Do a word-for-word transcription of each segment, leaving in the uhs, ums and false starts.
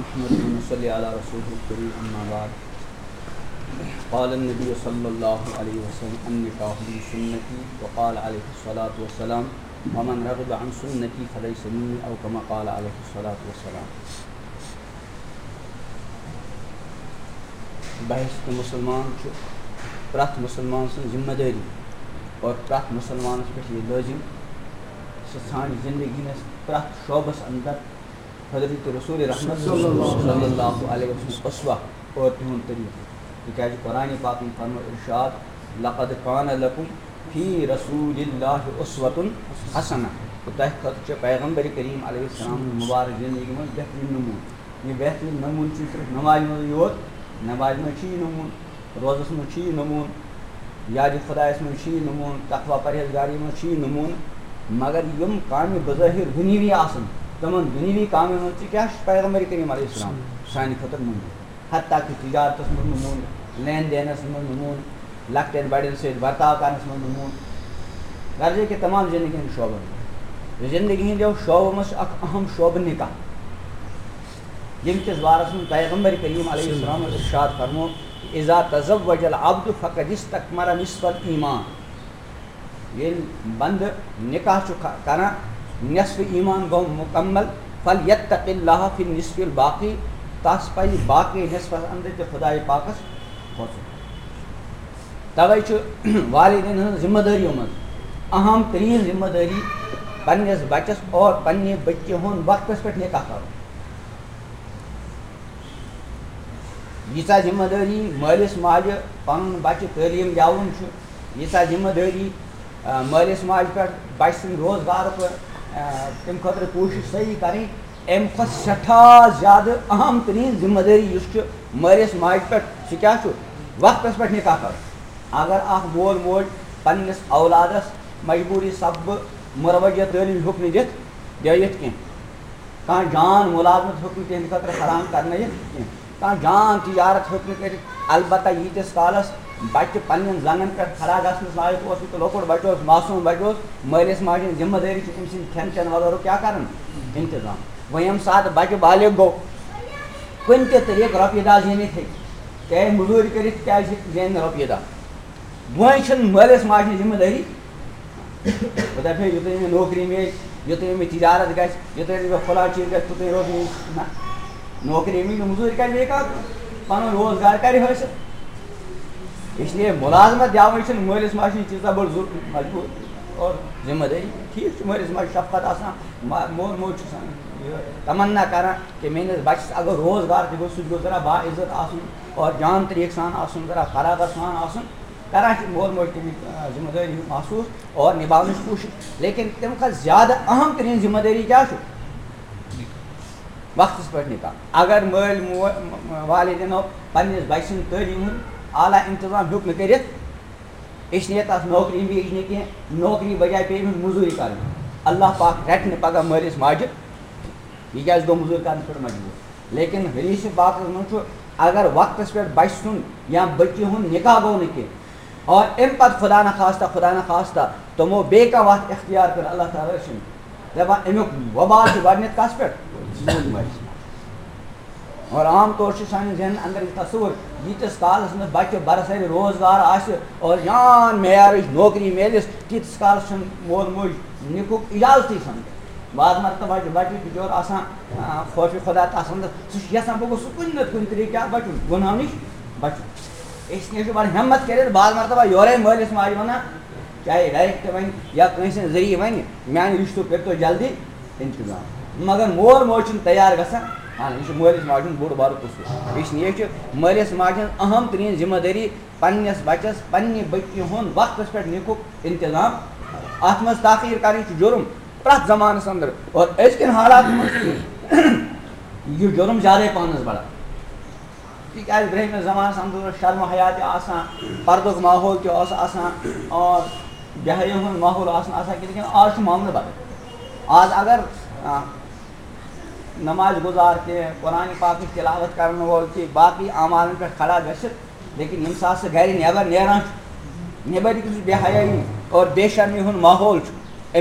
نحمده ونصلي على رسوله الكريم، أما بعد. قال النبي صلى الله عليه وسلم: النكاح بسنتي، وقال عليه الصلاة والسلام: ومن رغب عن سنتي فليس مني، أو كما قال عليه الصلاة والسلام. بحیثیت مسلمان چھُ پرٛٮ۪تھ مسلمان سٕنٛز ذمہ دٲری اور پرٛٮ۪تھ مسلمانَس پٮ۪ٹھ یہِ لٲزِم، سُہ ژھانٛڈِ زندگی ہٕنٛدِس پرٛٮ۪تھ شعبَس اندر حضرت رسول رحمت صلی اللہ علیہ وسلم اسوہ اور تِہُنٛد طریٖقہٕ۔ تِکیٛازِ قرآن پاکن فرمو ارشاد: لقد کان لکم فی رسول اللہ اسوۃ حسنہ۔ تہٕ تۄہہِ خٲطرٕ چھُ پیغمبر کریم علیہ السلام مبارک زندگی منٛز بہترین نموٗنہٕ۔ یہِ بہترین نموٗنہٕ چھُنہٕ صرف نمازِ منٛزٕے یوت، نمازِ منٛز چھُ یہِ نموٗنہٕ، روزس منٛز چھُ یہِ نموٗنہٕ، یادِ خۄدایس منٛز چھُ یہِ نموٗنہٕ، تقوی پرہیزگاری منٛز چھُ یہِ نموٗنہٕ۔ مگر یِم کامہِ بظٲہر دُنیاوی آسن، تِمن دُنیاوی کامٮ۪ن منٛز تہِ کیٛاہ چھُ پیغمبر کریم علیہ السلام سانہِ خٲطرٕ نموٗنہٕ؟ حتیٰ کہ تجارتس منٛز نموٗنہٕ، لین دینس منٛز نموٗنہٕ، لۄکٹٮ۪ن بڑٮ۪ن سۭتۍ برتاو کرنس منٛز نموٗنہٕ، غرض یہِ کہِ تمام زندگی ہٕنٛدٮ۪ن شعبن منٛز۔ زندگی ہٕنٛدیو شعبو منٛز چھُ اکھ اہم شعبہٕ نکاح، ییٚمہِ کِس بارس منٛز پیغمبر کریم علیہ السلام ارشاد فرمو: اذا تزوج العبد فقد استکمل نصف الایمان۔ ییٚلہِ بندٕ نکاح چھُ ک-، کران، نصف ایمان گوٚو مکمل، فلیتق اللہ فی النصف الباقی، تس پزِ باقی نصفس اندر تہِ خدایہِ پاکس کھوژُن۔ توے چھُ والدین ہٕنٛز ذمہ دٲریو منٛز اہم ترین ذمہ دٲری پننِس بچس اور پننہِ بچہِ ہُنٛد وقتس پٮ۪ٹھ نکاح کرُن۔ ییٖژاہ ذمہ دٲری مٲلِس ماجہِ پنُن بچہِ تعلیٖم دِیاوُن چھُ، ییٖژاہ ذمہ دٲری، آ، مٲلِس ماجہِ پٮ۪ٹھ بچہِ سٕنٛدِ روزگارُک، آ، تَمہِ خٲطرٕ کوٗشِش صحیح کرٕنۍ، اَمہِ کھۄتہٕ سٮ۪ٹھاہ زیادٕ اہم ترین ذمہ دٲری یُس چھُ مٲلِس ماجہِ پٮ۪ٹھ، سُہ کیٛاہ چھُ؟ وقتس پٮ۪ٹھ نکاح کرُن۔ اگر اکھ مول موج پننِس اولادس مجبوٗری سببہٕ مروجہ تعلیٖم ہیوٚک نہٕ دِتھ، دِتھ کینٛہہ، کانٛہہ جان ملازمت ہیوٚک نہٕ تِہنٛدِ خٲطرٕ فراہم کرنٲیِتھ کینٛہہ، کانٛہہ جان تجارت ہیوٚک نہٕ کٔرِتھ، البتہ ییٖتِس کالس بچہِ پننٮ۪ن زنٛگن پٮ۪ٹھ کھڑا گژھنس لایق اوس، یہِ تہِ لۄکُٹ بچہِ اوس، معصوم بچہِ اوس، مٲلِس ماجہِ ہٕنٛز ذمہ دٲری چھِ أمۍ سٕنٛدِ کھٮ۪ن چٮ۪ن وغٲرُک کیٛاہ کرُن؟ انتظام۔ وۄنۍ ییٚمہِ ساتہٕ بچہِ بالغ گوٚو، کُنہِ تہِ طریٖقہٕ رۄپیہِ دَہ زیٖنِتھ ہیٚکہِ، چاہے مٔزوٗرۍ کٔرِتھ کیٛازِ زینہِ نہٕ رۄپیہِ دَہ؟ وۄنۍ چھِنہٕ مٲلِس ماجہِ ہٕنٛز ذمہٕ دٲری، خۄدا پھیرِ، یُتھُے مےٚ نوکری میلہِ، یُتھُے مےٚ تجارت گژھِ، یُتھُے مےٚ فلاں چیٖز گژھِ، تُتُے روزِ میٛٲنۍ۔ نہ، نوکری میلہِ نہٕ، مٔزوٗرۍ کَرِ بیٚیہِ کانٛہہ، پَنُن روزگار کَرِ حٲصِل۔ اس لیے مُلازمت دِیاوٕنۍ چھِنہٕ مٲلِس ماجہِ ہٕنٛز تیٖژاہ بٔڑ ضروٗرت، مجبوٗر اور ذمہٕ دٲری۔ ٹھیٖک چھُ، مٲلِس ماجہِ شفقت آسان، ما-، مول موج چھُ آسان یہِ تمنا کران کہِ میٛٲنِس بَچَس اگر روزگار تہِ گوٚو، سُہ تہِ گوٚژھ ذرا باعزت آسُن اور جان طریٖقہٕ سان آسُن، ذرا فراغت سان آسُن۔ کران چھِ مول موج تَمِچ، آ، ذمہٕ دٲری ہُنٛد محسوٗس اور نِباونٕچ کوٗشِش، لیکن تَمہِ کھۄتہٕ زیادٕ اہم تریٖن ذمہٕ دٲری کیٛاہ چھُ؟ وقتَس پٮ۪ٹھ نِکاح۔ اگر مٲلۍ مو-، م-، م-، والدینو پنٛنِس بَچہِ سٕنٛدِ تعلیٖم ہُنٛد اعلیٰ انتظام ہیوٚک نہٕ کٔرِتھ، أسۍ نِیَتھ تَس نوکری بیٚیہِ نہٕ کینٛہہ، نوکری بجایہِ پیٚیہِ أمِس مٔزوٗرۍ کَرٕنۍ۔ اللہ پاک رَٹہِ نہٕ پَگاہ مٲلِس ماجہِ، یہِ کیٛازِ گوٚو مٔزوٗرۍ کَرنہٕ پٮ۪ٹھ مجبوٗر؟ لیکن حدیث پاکس منٛز چھُ، اگر وقتس پٮ۪ٹھ بچہِ سُنٛد یا بچی ہُنٛد نکاح گوٚو نہٕ کینٛہہ، اور امہِ پتہٕ خدا نخواستہ، خدا نخواستہ تِمو بیٚیہِ کانٛہہ وتھ اختیار کٔر، اللہ تعالیٰ رٔچھِنۍ۔ دپان، امیُک وبال چھُ گۄڈٕنیتھ کس پٮ۪ٹھ؟ مٲلِس ماجہِ۔ اور عام طور چھُ سانٮ۪ن ذہنن اندر یہِ تصور، ییٖتِس کالس نہٕ بچہِ برسرِ روزگار آسہِ اور جان معیارٕچ نوکری میلٮ۪س، تیٖتِس کالس چھُنہٕ مول موج نکاحُک اجازتٕے سمجھان۔ بعض مرتبہ چھُ بچہِ بچور آسان، آ، خوف خدا تس اندر، سُہ چھُ یژھان بہٕ گوٚژھُس کُنہِ نتہٕ کُنہِ طریقہٕ کیٛاہ بچُن، گۄناہو نِش بچُن۔ اس لیے چھُ بڑٕ ہمت کٔرِتھ بعض مرتبہ یورے مٲلِس ماجہِ ونان، چاہے direct ونہِ یا کٲنٛسہِ ہٕنٛدِ ذٔریعہٕ ونہِ، میانہِ رشتُک کٔرۍتو جلدی انتظام۔ مگر مول موج چھُنہٕ تیار گژھان، اہن، یہِ چھُ مٲلِس ماجہِ ہُنٛد بوٚڑ بارٕ قصوٗر۔ اس لیے چھُ مٲلِس ماجہِ ہٕنٛز اہم ترین ذمہٕ دٲری پننِس بچس، پننہِ بچی ہُنٛد وقتس پٮ۪ٹھ نکاحُک انتظام۔ اتھ منٛز تاخیر کرٕنۍ چھُ جُرم پرٛٮ۪تھ زمانس اندر، اور أزکٮ۪ن حالاتن منٛز چھُ یہِ جُرم زیادے پہنس بڑان۔ تِکیٛازِ برٛونٛہمِس زمانس اندر اوس شرم و حیا تہِ آسان، پردُک ماحول تہِ اوس آسان، اور بے حیٲیی ہُنٛد ماحول اوس نہٕ آسان کینٛہہ، لیکن آز چھُ معاملہٕ بدل۔ آز اگر، آ، نماز گزار تہِ، قرآن پاکٕچ تلاوت کرن وول تہِ، باقٕے اعمالن پٮ۪ٹھ کھڑا گژھِ، لیکن ییٚمہِ ساتہٕ سُہ گرِ نٮ۪بر نیران چھُ، نٮ۪بر کِس بے حیٲیی اور بے شرمی ہُنٛد ماحول چھُ،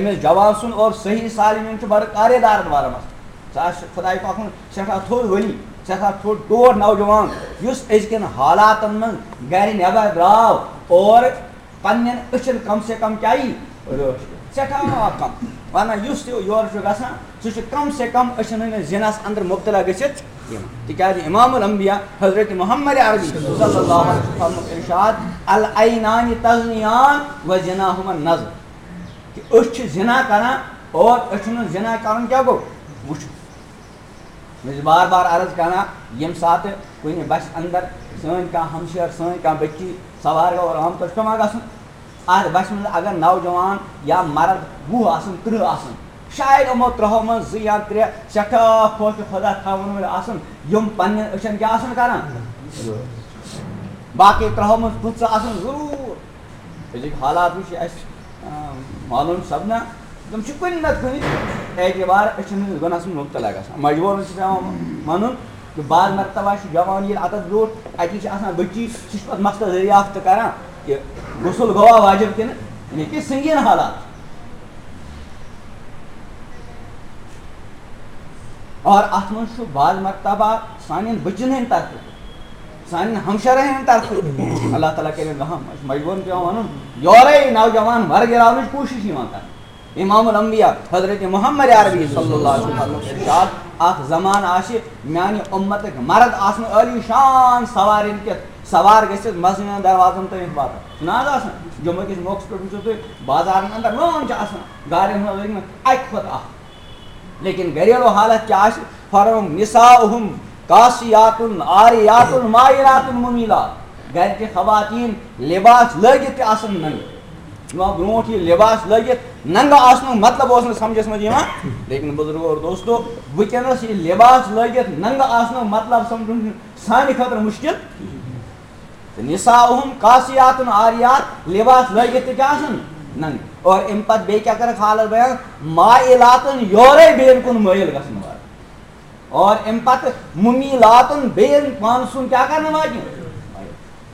أمِس جوان سُنٛد اور صحیح سالمین چھُ بڑٕ کارے دار بارس منٛز۔ سُہ آسہِ خداے پاکُن سٮ۪ٹھاہ تھوٚد ؤلی، سٮ۪ٹھاہ تھوٚد ٹوٹھ نوجوان، یُس أزکٮ۪ن حالاتن منٛز گرِ نٮ۪بر درٛاو اور پننٮ۪ن أچھن کم سے کم کیٛاہ یی؟ رٲچھ۔ سٮ۪ٹھاہ کم۔ ونان یُس تہِ یورٕ چھُ گژھان، سُہ چھُ کم سے کم أچھن ہٕنٛدِس زِنس اندر مبتلا گٔژھِتھ یِوان۔ تِکیٛازِ امام الانبیاء حضرت محمد عربی صلی اللہ علیہ وسلم فرموو ارشاد، "العینان تزنیان و زناہما النظر"، کہ أچھ چھِ زِنا کران اور أچھن ہُنٛد زِنا کرُن کیٛاہ گوٚو؟ وٕچھُن۔ مےٚ چھِ بار بار عرض کران، ییٚمہِ ساتہٕ کُنہِ بسہِ اندر سٲنۍ کانٛہہ ہمشیر، سٲنۍ کانٛہہ بٔچی سوار گوٚو، اور عام طور چھُ پٮ۪وان گژھُن، اتھ بسہِ منٛز اگر نوجوان یا مرد وُہ آسن، ترٕٛہ آسن، شاید یِمو ترٛہو منٛز زٕ یا ترٛےٚ سٮ۪ٹھاہ خوف خدا تھاون وٲلۍ آسن، یِم پننٮ۪ن أچھن کیٛاہ آسن کران؟ باقٕے ترٛہو منٛز پٕنٛژٕہ آسن ضروٗر۔ أزِکۍ حالات وٕچھ اَسہِ، آ، معلوم سپدان، تِم چھِ کُنہِ نتہٕ کُنہِ اعتبار أچھن ہٕنٛدِس گۄناہس منٛز مُبتلا گژھان۔ مجبوٗرن چھُ پٮ۪وان وَنُن کہِ بعض مرتبہ چھُ جوان ییٚلہِ اَتَتھ برٛونٛٹھ اَتی چھِ آسان بٔچی، سُہ چھُ پَتہٕ مسلہٕ دٔریافت کران کہِ غسل گوٚوا واجب کِنہٕ نہ، کہِ سنگین حالات۔ اور اَتھ منٛز چھُ بعض مرتبہ سانٮ۪ن بٔچِن ہٕنٛدِ طرفہٕ تہِ، سانٮ۪ن ہمشیرن ہٕنٛدِ طرفہٕ تہِ۔ اللہ تعالیٰ کٔرِنۍ رحم۔ أسۍ مجبوٗرن پٮ۪وان وَنُن، یورے نوجوان ورگراونٕچ کوٗشِش یِوان کرنہٕ۔ امام الانبیاء حضرت محمد عربی صلی اللہ علیہ وسلم فرموو ارشاد، اکھ زمانہٕ آسہِ میانہِ اُمتٕکۍ مرد آسنہٕ عٲلی شان سوارٮ۪ن کِتھ سوار گٔژھِتھ مسجدن دروازن تام واتان۔ چھُنہٕ آز آسان؟ جمعہ کِس موقعس پٮ۪ٹھ وٕچھِو تُہۍ، بازارن اندر لٲن چھِ آسان، گاڑٮ۪ن ہٕنٛز لٔگمٕژ اکہِ کھۄتہٕ اکھ۔ لیکن گھریلو حالت کیٛاہ آسہِ؟ فرموو، "نساؤہم کاسیاتن عاریاتن مائلاتن ممیلات"۔ گھرچہِ خواتین لباس لٲگِتھ تہِ آسن ننگہٕ۔ یِوان برونٛٹھ یہِ لباس لٲگِتھ ننگہٕ آسنُک مطلب اوس نہٕ سمجھس منٛز یِوان، لیکن بزرگو اور دوستو، وٕنکیٚنس یہِ لباس لٲگِتھ ننگہٕ آسنُک مطلب سمجھُن چھُ سانہِ خٲطرٕ مشکل۔ تہٕ نساؤہم کاسیاتن عاریات، لباس لٲگِتھ تہِ کیٛاہ آسن؟ ننگہٕ۔ اور امہِ پتہٕ بیٚیہِ کیٛاہ کٔرٕکھ حالت بیان؟ مائلاتن، یورے بیٚین کُن مٲیِل گژھن وٲلۍ۔ اور امہِ پتہٕ ممیلاتن، بیٚین پانس کُن کیٛاہ کرنہٕ واجہِ؟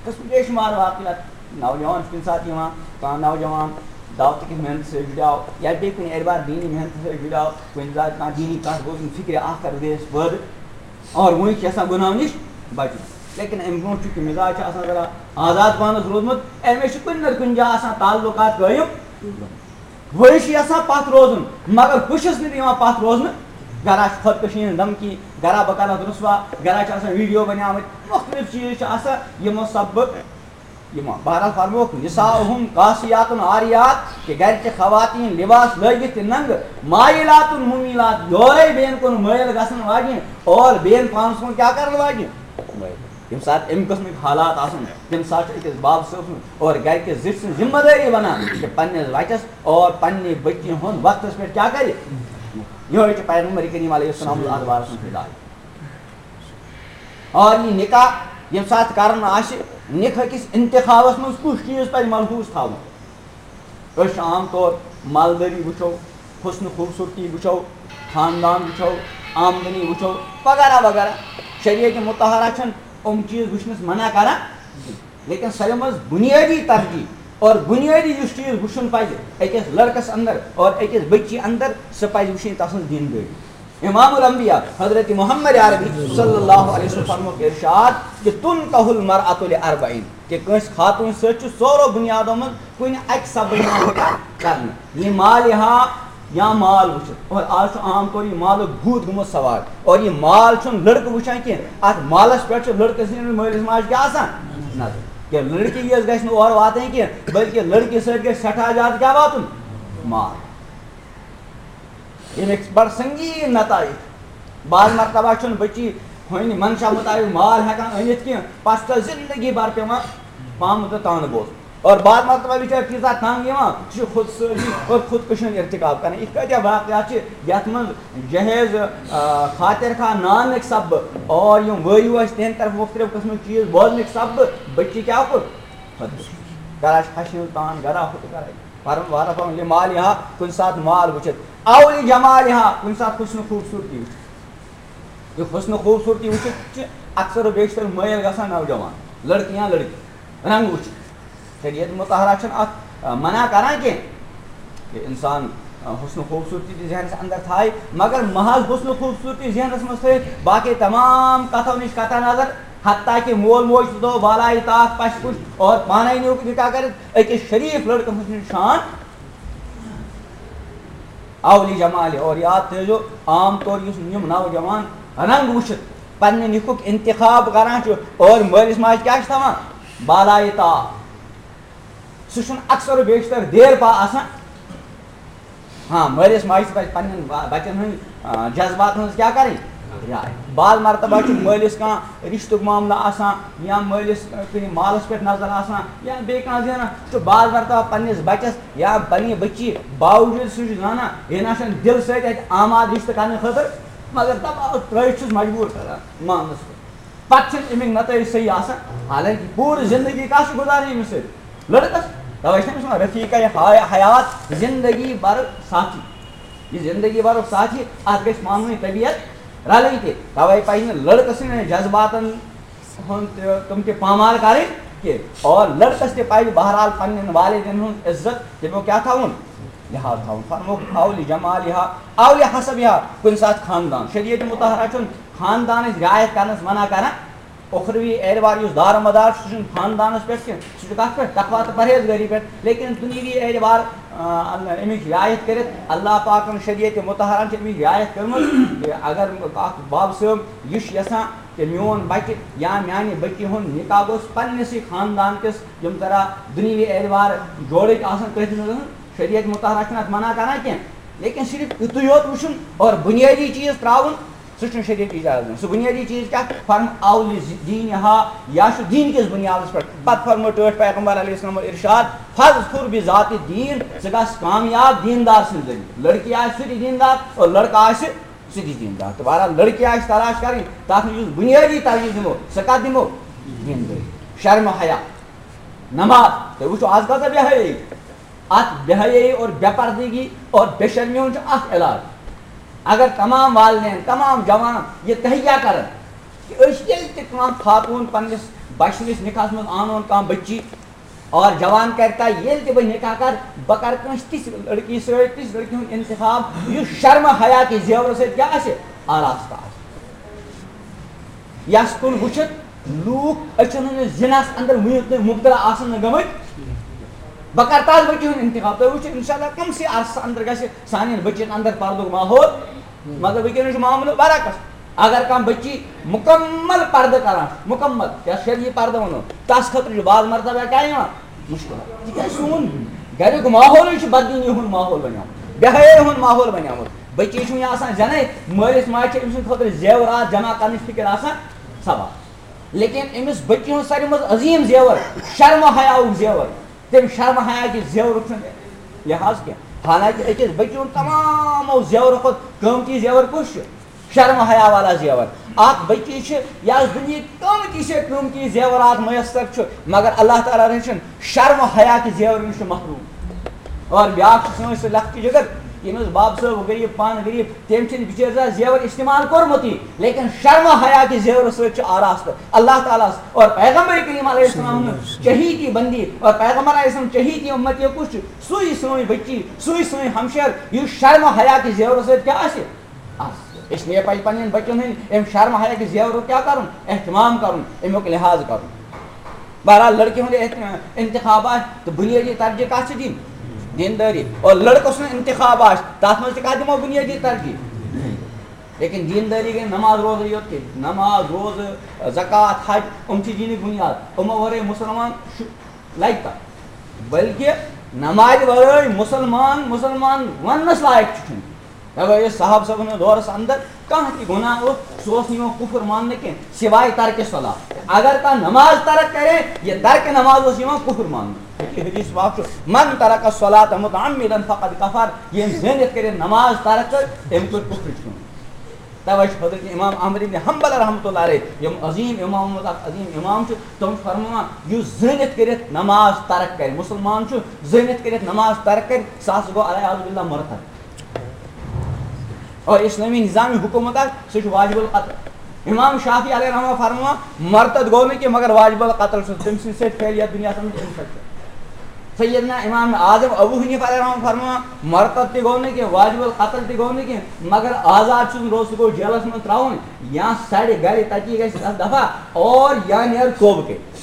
قٕسم بے شُمار واقعات۔ نوجوان چھُ کُنہِ ساتہٕ یِوان، کانٛہہ نوجوان دعوتٕکِس محنتس سۭتۍ جُڑیو یا بیٚیہِ کُنہِ اعتبار دینی محنتس سۭتۍ جُڑیو، کُنہِ ساتہٕ کانٛہہ دینی کتھ بوزُن، فکرِ آخرت گٔیس پٲدٕ۔ اور وۄنۍ چھِ یژھان گۄناہو نِش بچُن۔ لیکن امہِ برونٛٹھ چھُ کہِ مزاج چھُ آسان ذرا آزاد پانس روٗدمُت، أمِس چھُ کُنہِ نتہٕ کُنہِ جایہِ آسان تعلقات قٲیِم۔ وۄنۍ چھُ یژھان پتھ روزُن، مگر ہُہ چھُس نہٕ دِوان پتھ روزنہٕ۔ گرا چھِ خودکشی ہٕنٛز دھمکی، گرا بہٕ کرٕ اَتھ رُسوا، گرا چھِ آسان ویڈیو بنیمٕتۍ، مختلف چیٖز چھِ آسان، یِمو سببہٕ یِمو۔ بہرحال فرمووُکھ، "نساؤہم کاسیاتن عاریات"، کہ گرچہِ خواتین لباس لٲگِتھ تہِ ننگہٕ، مائلاتن ممیلات، یورے بیٚین کُن مٲیِل گژھن واجٮ۪ن اور بیٚین پانس کُن کیٛاہ کرن واجٮ۪ن؟ ییٚمہِ ساتہٕ اَمہِ قٕسمٕکۍ حالات آسن، تَمہِ ساتہٕ چھُ أکِس باب صٲب سُنٛد اور گرِ کِس زِٹھۍ سٕنٛز ذمہٕ دٲری بنان کہِ پننِس بچس اور پننہِ بٔچی ہُنٛد وقتس پٮ۪ٹھ کیٛاہ کرِ۔ یِہوٚے چھُ پیغمبر کریم علیہ السلام اتھ بارس منٛز ہدایت۔ اور یہِ نکاح ییٚمہِ ساتہٕ کرُن آسہِ، نکاح کِس انتخابس منٛز کُس چیٖز پزِ ملحوظ تھاوُن؟ أسۍ چھِ عام طور مالدٲری وٕچھو، حسن خوٗبصوٗرتی وٕچھو، خاندان وٕچھو، آمدنی وٕچھو، وغیرہ وغیرہ۔ شریعت مطہرہ چھَنہٕ یِم چیٖز وٕچھنَس منع کران، لیکن ساروی منٛز بُنیٲدی ترجیح اور بُنیٲدی یُس چیٖز وٕچھُن پزِ أکِس لڑکس اندر اور أکِس بچی اندر، سۄ پزِ وٕچھِنۍ تسٕنٛز دیندٲری۔ امام الانبیاء حضرت محمد عربی صلی اللہ علیہ وسلم فرمووُکھ ارشاد کہ تنکح المرأة لاربعین، کہ کٲنٛسہِ خاتوٗن سۭتۍ چھُ ژورو بُنیادو منٛز کُنہِ اکہِ سببہٕ یِوان نکاح کرنہٕ، لمالہا، یا مال وٕچھِتھ۔ اور آز چھُ عام طور یہِ مالُک بھوٗت گوٚمُت سوار، اور یہِ مال چھُنہٕ لڑکہٕ وٕچھان کینٛہہ، اتھ مالس پٮ۪ٹھ چھُ لڑکہٕ سٕنٛدِس مٲلِس ماجہِ کیٛاہ آسان نظر۔ کہِ لڑکی یٲژ گژھِ نہٕ اورٕ واتٕنۍ کینٛہہ، بلکہِ لڑکی سۭتۍ گژھِ سٮ۪ٹھاہ زیادٕ کیٛاہ واتُن؟ مال۔ ییٚمِکۍ بڑٕ سنگیٖن نتائج۔ بعض مرتبہ چھُنہٕ بچی ہُنہِ منشا مطابق مال ہٮ۪کان أنِتھ کینٛہہ، پتہٕ چھِ تس زندگی بھر پٮ۪وان پامہٕ تہٕ طعنہٕ بوزُن۔ اور بعض مرتبہ بچٲرۍ تیٖژاہ تنگ یِوان، سُہ چھُ خودسٲزی اور خودکشی ہُنٛد ارتکاب کران۔ یِتھ کٲٹھۍ واقعات چھِ، یتھ منٛز جہیز، آ، خاطر خواہ نانٕکۍ سببہٕ اور یِم وٲرِو ٲسۍ، تِہنٛدِ طرفہٕ مختلف قٕسمٕکۍ چیٖز بوزنٕکۍ سببہٕ بچی کیٛاہ کوٚر؟ خودکشی۔ کران چھِ ہشہِ ہٕنٛز تان، گرا ہُہ تہٕ گرا یہِ۔ فرم وارہ فرم لمالہا، کُنہِ ساتہٕ مال وٕچھِتھ، او لجمالہا، کُنہِ ساتہٕ حسن خوٗبصوٗرتی وٕچھِتھ۔ یہِ حسن خوٗبصوٗرتی وٕچھِتھ چھِ اکثر و بیشتر مٲیِل گژھان نوجوان، لڑکہٕ یا لڑکی، رنٛگ وٕچھِتھ۔ شریعت مطہرہ چھُنہٕ اتھ، آ، منع کران کینٛہہ۔ کہ انسان، آ، حسن و خوبصورتی تہِ ذہنس اندر تھایہِ، مگر محض حسن و خوبصورتی ذہنس منٛز تھٲیِتھ باقی تمام کتھو نِش قطع نظر، حتیٰ کہ مول موج تہِ تھوٚو بالایہِ طاق پشہِ کُن اور پانے نیوٗکھ نکاح کٔرِتھ أکِس شریف لڑکہٕ سٕنٛز شان اولی جمالہِ۔ اور یاد تھٲیزیو، عام طور یُس یِم نوجوان رنگ وٕچھِتھ پننہِ نِکُک انتخاب کران چھُ اور مٲلِس ماجہِ کیٛاہ چھِ تھاوان؟ بالایہِ طاق۔ سُہ چھُنہٕ اکثر و بیشتر دیر پا آسان۔ ہاں، مٲلِس ماجہِ تہِ پَزِ پننٮ۪ن با-، بچن ہٕنٛدۍ، آ، جذباتن ہٕنٛز کیٛاہ کرٕنۍ؟ رعایت۔ بعض مرتبہ چھُ مٲلِس کانٛہہ رشتُک معاملہٕ آسان یا مٲلِس، آ، کُنہِ مالس پٮ۪ٹھ نظر آسان یا بیٚیہِ کانٛہہ زینان، چھُ بعض مرتبہ پننِس بچس یا پننہِ بچی باوجود سُہ چھُ زانان، یہِ نہ چھُنہٕ دِل سۭتۍ اَتہِ آماد رشتہٕ کرنہٕ خٲطرٕ، مگر دباو ترٲوِتھ چھُس مجبوٗر کران ماننس پٮ۪ٹھ۔ پتہٕ چھِنہٕ اَمِکۍ نتٲیِج صحیح آسان، حالانکہ پوٗرٕ زندگی کَس چھِ گُزارٕنۍ أمِس سۭتۍ؟ لڑکس۔ توے چھِ أمِس وَنان رفیقہ حیا-، حیات، زندگی بھر ساتھی۔ یہِ زندگی بھرُک ساتھی، اَتھ گژھِ پانہٕ ؤنۍ طبیعت رلٕنۍ تہِ۔ توے پَزِ نہٕ لڑکہٕ سٕنٛدٮ۪ن جذباتن ہُنٛد تہِ، تِم تہِ پامال کرٕنۍ کینٛہہ۔ اور لڑکس تہِ پَزِ بہرحال پننٮ۪ن والدین ہُنٛد عزت، تِمو کیٛاہ تھاوُن؟ لحاظ تھاوُن۔ فرمووُکھ اولی جمالہا، اولی حسبہا، کُنہِ ساتہٕ خاندان۔ شریعت مطہرہ چھُنہٕ خاندانٕچ رعایت کرنس منع کران۔ اخروی اعتبار یُس دار و مدار چھُ، سُہ چھُنہٕ خاندانس پٮ۪ٹھ کینٛہہ، سُہ چھُ کتھ پٮ۪ٹھ؟ تقویٰ تہٕ پرہیزگٲری پٮ۪ٹھ۔ لیکن دُنیاوی اعتبار، آ، امِچ رعایت کٔرِتھ، اللہ پاکن شریعت مطہرن چھِ امِچ رعایت کٔرمٕژ۔ یہِ اگر اکھ باب صٲب یہِ چھُ یژھان کہ میون بچہِ یا میانہِ بچی ہُنٛد نکاح گوٚژھ پننِسٕے خاندان کِس، یِم ذرا دُنیاوی اعتبار جوڑٕکۍ آسن، تٔتھۍ منٛز آسن۔ شریعت مطہرہ چھُنہٕ اتھ منع کران کینٛہہ، لیکن صرف یُتُے یوت وٕچھُن اور بُنیٲدی چیٖز ترٛاوُن، سُہ چھُنہٕ شریعت اجازت دِوان۔ سُہ بُنیٲدی چیٖز کیٛاہ؟ فرم اول دینہا، یا چھُ دیٖن کِس بُنیادس پٮ۪ٹھ۔ پتہٕ فرموو ٹٲٹھۍ پیغمبر علیہ السلام ارشاد، فاظفر بذات الدین، ژٕ گژھ کامیاب دیندار سٕنٛدِ ذٔریعہٕ۔ لڑکی آسہِ سُہ تہِ دیندار اور لڑکہٕ آسہِ سُہ تہِ دیندار۔ تہٕ بہرحال لڑکی آسہِ تلاش کرٕنۍ، تتھ منٛز یُس بُنیٲدی ترجیح دِمو، سۄ کتھ دِمو؟ دیندٲری۔ شرم حیا، نماز۔ تُہۍ وٕچھِو آز کۭژاہ بے حیٲیی۔ اتھ بے حیٲیی اور بے پردگی اور بے شرمی ہُنٛد چھُ اکھ علاج۔ اگر تمام والدین، تمام جوان یہِ تہیا کرن کہ أسۍ ییٚلہِ تہِ کانٛہہ خاتوٗن پننِس بچہٕ سٕنٛدِس نکاحس منٛز انون کانٛہہ بچی اور جوان کرِ طے، ییٚلہِ تہِ بہٕ نکاح کرٕ، بہٕ کرٕ کٲنٛسہِ تِژھ لڑکی سۭتۍ، تِژھ لڑکی ہُنٛد انتخاب یُس شرم حیا کہِ زیورٕ سۭتۍ کیٛاہ آسہِ؟ آراستہٕ آسہِ۔ یس کُن وٕچھِتھ لوٗکھ أچھن ہٕنٛدِس زِنس اندر وُنیُک تام مُبتلا آسن نہٕ گٔمٕتۍ۔ بہٕ کرٕ تتھ بٔچی ہُنٛد انتخاب۔ تُہۍ وٕچھِو، انشاءاللہ، کمسٕے عرصس اندر گژھِ سانٮ۪ن بٔچین اندر پردُک ماحول۔ مگر وٕنکیٚنس چھُ معاملہٕ برعکس۔ اگر کانٛہہ بٔچی مُکمل پردٕ کران، مُکمل، یتھ شرعی پردٕ ونو، تس خٲطرٕ چھُ بعض مرتبہ کیٛاہ یِوان؟ مُشکلات۔ تِکیٛازِ سون گریُک ماحولٕے چھُ بددیٖنی ہُنٛد ماحول بنیومُت، بے حیٲیی ہُنٛد ماحول بنیومُت۔ بٔچی چھُنہٕ یہِ آسان زینٕے، مٲلِس ماجہِ چھِ أمۍ سٕنٛدِ خٲطرٕ زیورات جمع کرنٕچ فِکر آسان سبا۔ لیکن أمِس بٔچی ہُنٛد ساروی منٛز عظیٖم زیور شرم و حیاہُک زیور۔ تٔمۍ شرم حیا کہِ زیورُک چھُنہٕ لحاظ کینٛہہ۔ حالانکہِ أکِس بٔچی ہُنٛد تمامو زیورو کھۄتہٕ قۭمتی زیور کُس چھُ؟ شرم حیا والا زیور۔ اکھ بٔچی چھِ یۄس دُنیہٕکۍ قۭمتی سے قۭمتی زیورات میسر چھُ، مگر اللہ تعالیٰ رٔچھِن شرم حیا کہِ زیورٕ نِش چھُ محروم۔ اور بیٛاکھ چھُ سٲنۍ سُہ لۄکٹہِ جگر، ییٚمِس بب صٲب غریٖب، پانہٕ غریٖب، تٔمۍ چھِنہٕ بِچٲرۍ زانٛہہ زیور استعمال کوٚرمُتٕے، لیکن شرم حیا کہِ زیورٕ سۭتۍ چھُ آراستہٕ۔ اللہ تعالیٰ ہس اور پیغمبر کریم علیہ السلام ہُنٛد چہیتی بندی اور پیغمبر علیہ السلام چہیتی امتی کُس چھُ؟ سُے سٲنۍ بچی، سُے سٲنۍ ہمشیر، یُس شرم حیا کہِ زیورٕ سۭتۍ کیٛاہ آسہِ؟ آسہِ۔ اس لیے پزِ پننٮ۪ن بچن ہٕنٛدۍ امہِ شرم حیا کہِ زیورُک کیٛاہ کرُن؟ اہتمام کرُن، امیُک لحاظ کرُن۔ بہرحال، لڑکی ہُنٛد احت-، انتخاب آسہِ تہٕ بنیٲدی ترجیح کتھ چھِ دِنۍ؟ دیندٲری۔ اور لڑکہٕ سُنٛد انتخاب آسہِ، تتھ منٛز تہِ کتھ دِمو بنیٲدی ترجیح؟ لیکن دیندٲری گٔے نماز روزے یوت کینٛہہ۔ نماز، روزٕ، زکوٰۃ، حج، یِم چھِ دیٖنٕکۍ بُنیاد۔ یِمو ورٲے مُسلمان چھُ، لگہِ کتھ؟ بلکہِ نمازِ ورٲے مُسلمان، مُسلمان وننس لایق تہِ چھُنہٕ۔ مےٚ باسیو صحابہٕ صٲبن ہٕنٛدِس دورس اندر کانٛہہ تہِ گۄناہ اوس، سُہ اوس نہٕ یِوان کُفر ماننہٕ کینٛہہ، سوائے ترکِ صلاۃ۔ اگر کانٛہہ نماز ترک کرے، یہِ ترکِ نماز اوس یِوان کُفر ماننہٕ۔ یہِ حدیث پاک چھُ، "من ترک الصلاۃ متعمدا فقد کفر"، ییٚمۍ زٲنِتھ کٔرِتھ نماز ترک کٔر، أمۍ کوٚر کُفرٕچ کٲم۔ توے چھُ حضرت امام احمد ابن حنبل رحمتہ اللہ علیہ، یِم عظیٖم امامو منٛز اکھ عظیٖم امام چھُ، تِم چھِ فرماوان، یُس زٲنِتھ کٔرِتھ نماز ترک کرِ، مُسلمان چھُ زٲنِتھ کٔرِتھ نماز ترک کرِ، سُہ ہسا گوٚو العیاذ باللہ مرتد۔ اور اسلامی نظامی حکومت اکھ، سُہ چھُ واجب القتل۔ امام شافعی علیہ رحمہ فرماوان، مرتد گوٚو نہٕ کینٛہہ، مگر واجب القتل چھُ، تٔمۍ سٕنٛدِ سۭتۍ پھیلہِ یتھ دُنیاہس منٛز انفیکشن۔ سیدنا امام اعظم ابو حنیفہ علیہ رحمہ فرماوان، مرتد تہِ گوٚو نہٕ کینٛہہ، واجب القتل تہِ گوٚو نہٕ کینٛہہ، مگر آزاد چھُس نہٕ روزُن، سُہ گوٚو جیلس منٛز ترٛاوُن یا سڑِ گرِ، تتی گژھِ تتھ دفعہ، اور یا نیرِ توبہٕ کٔرِتھ۔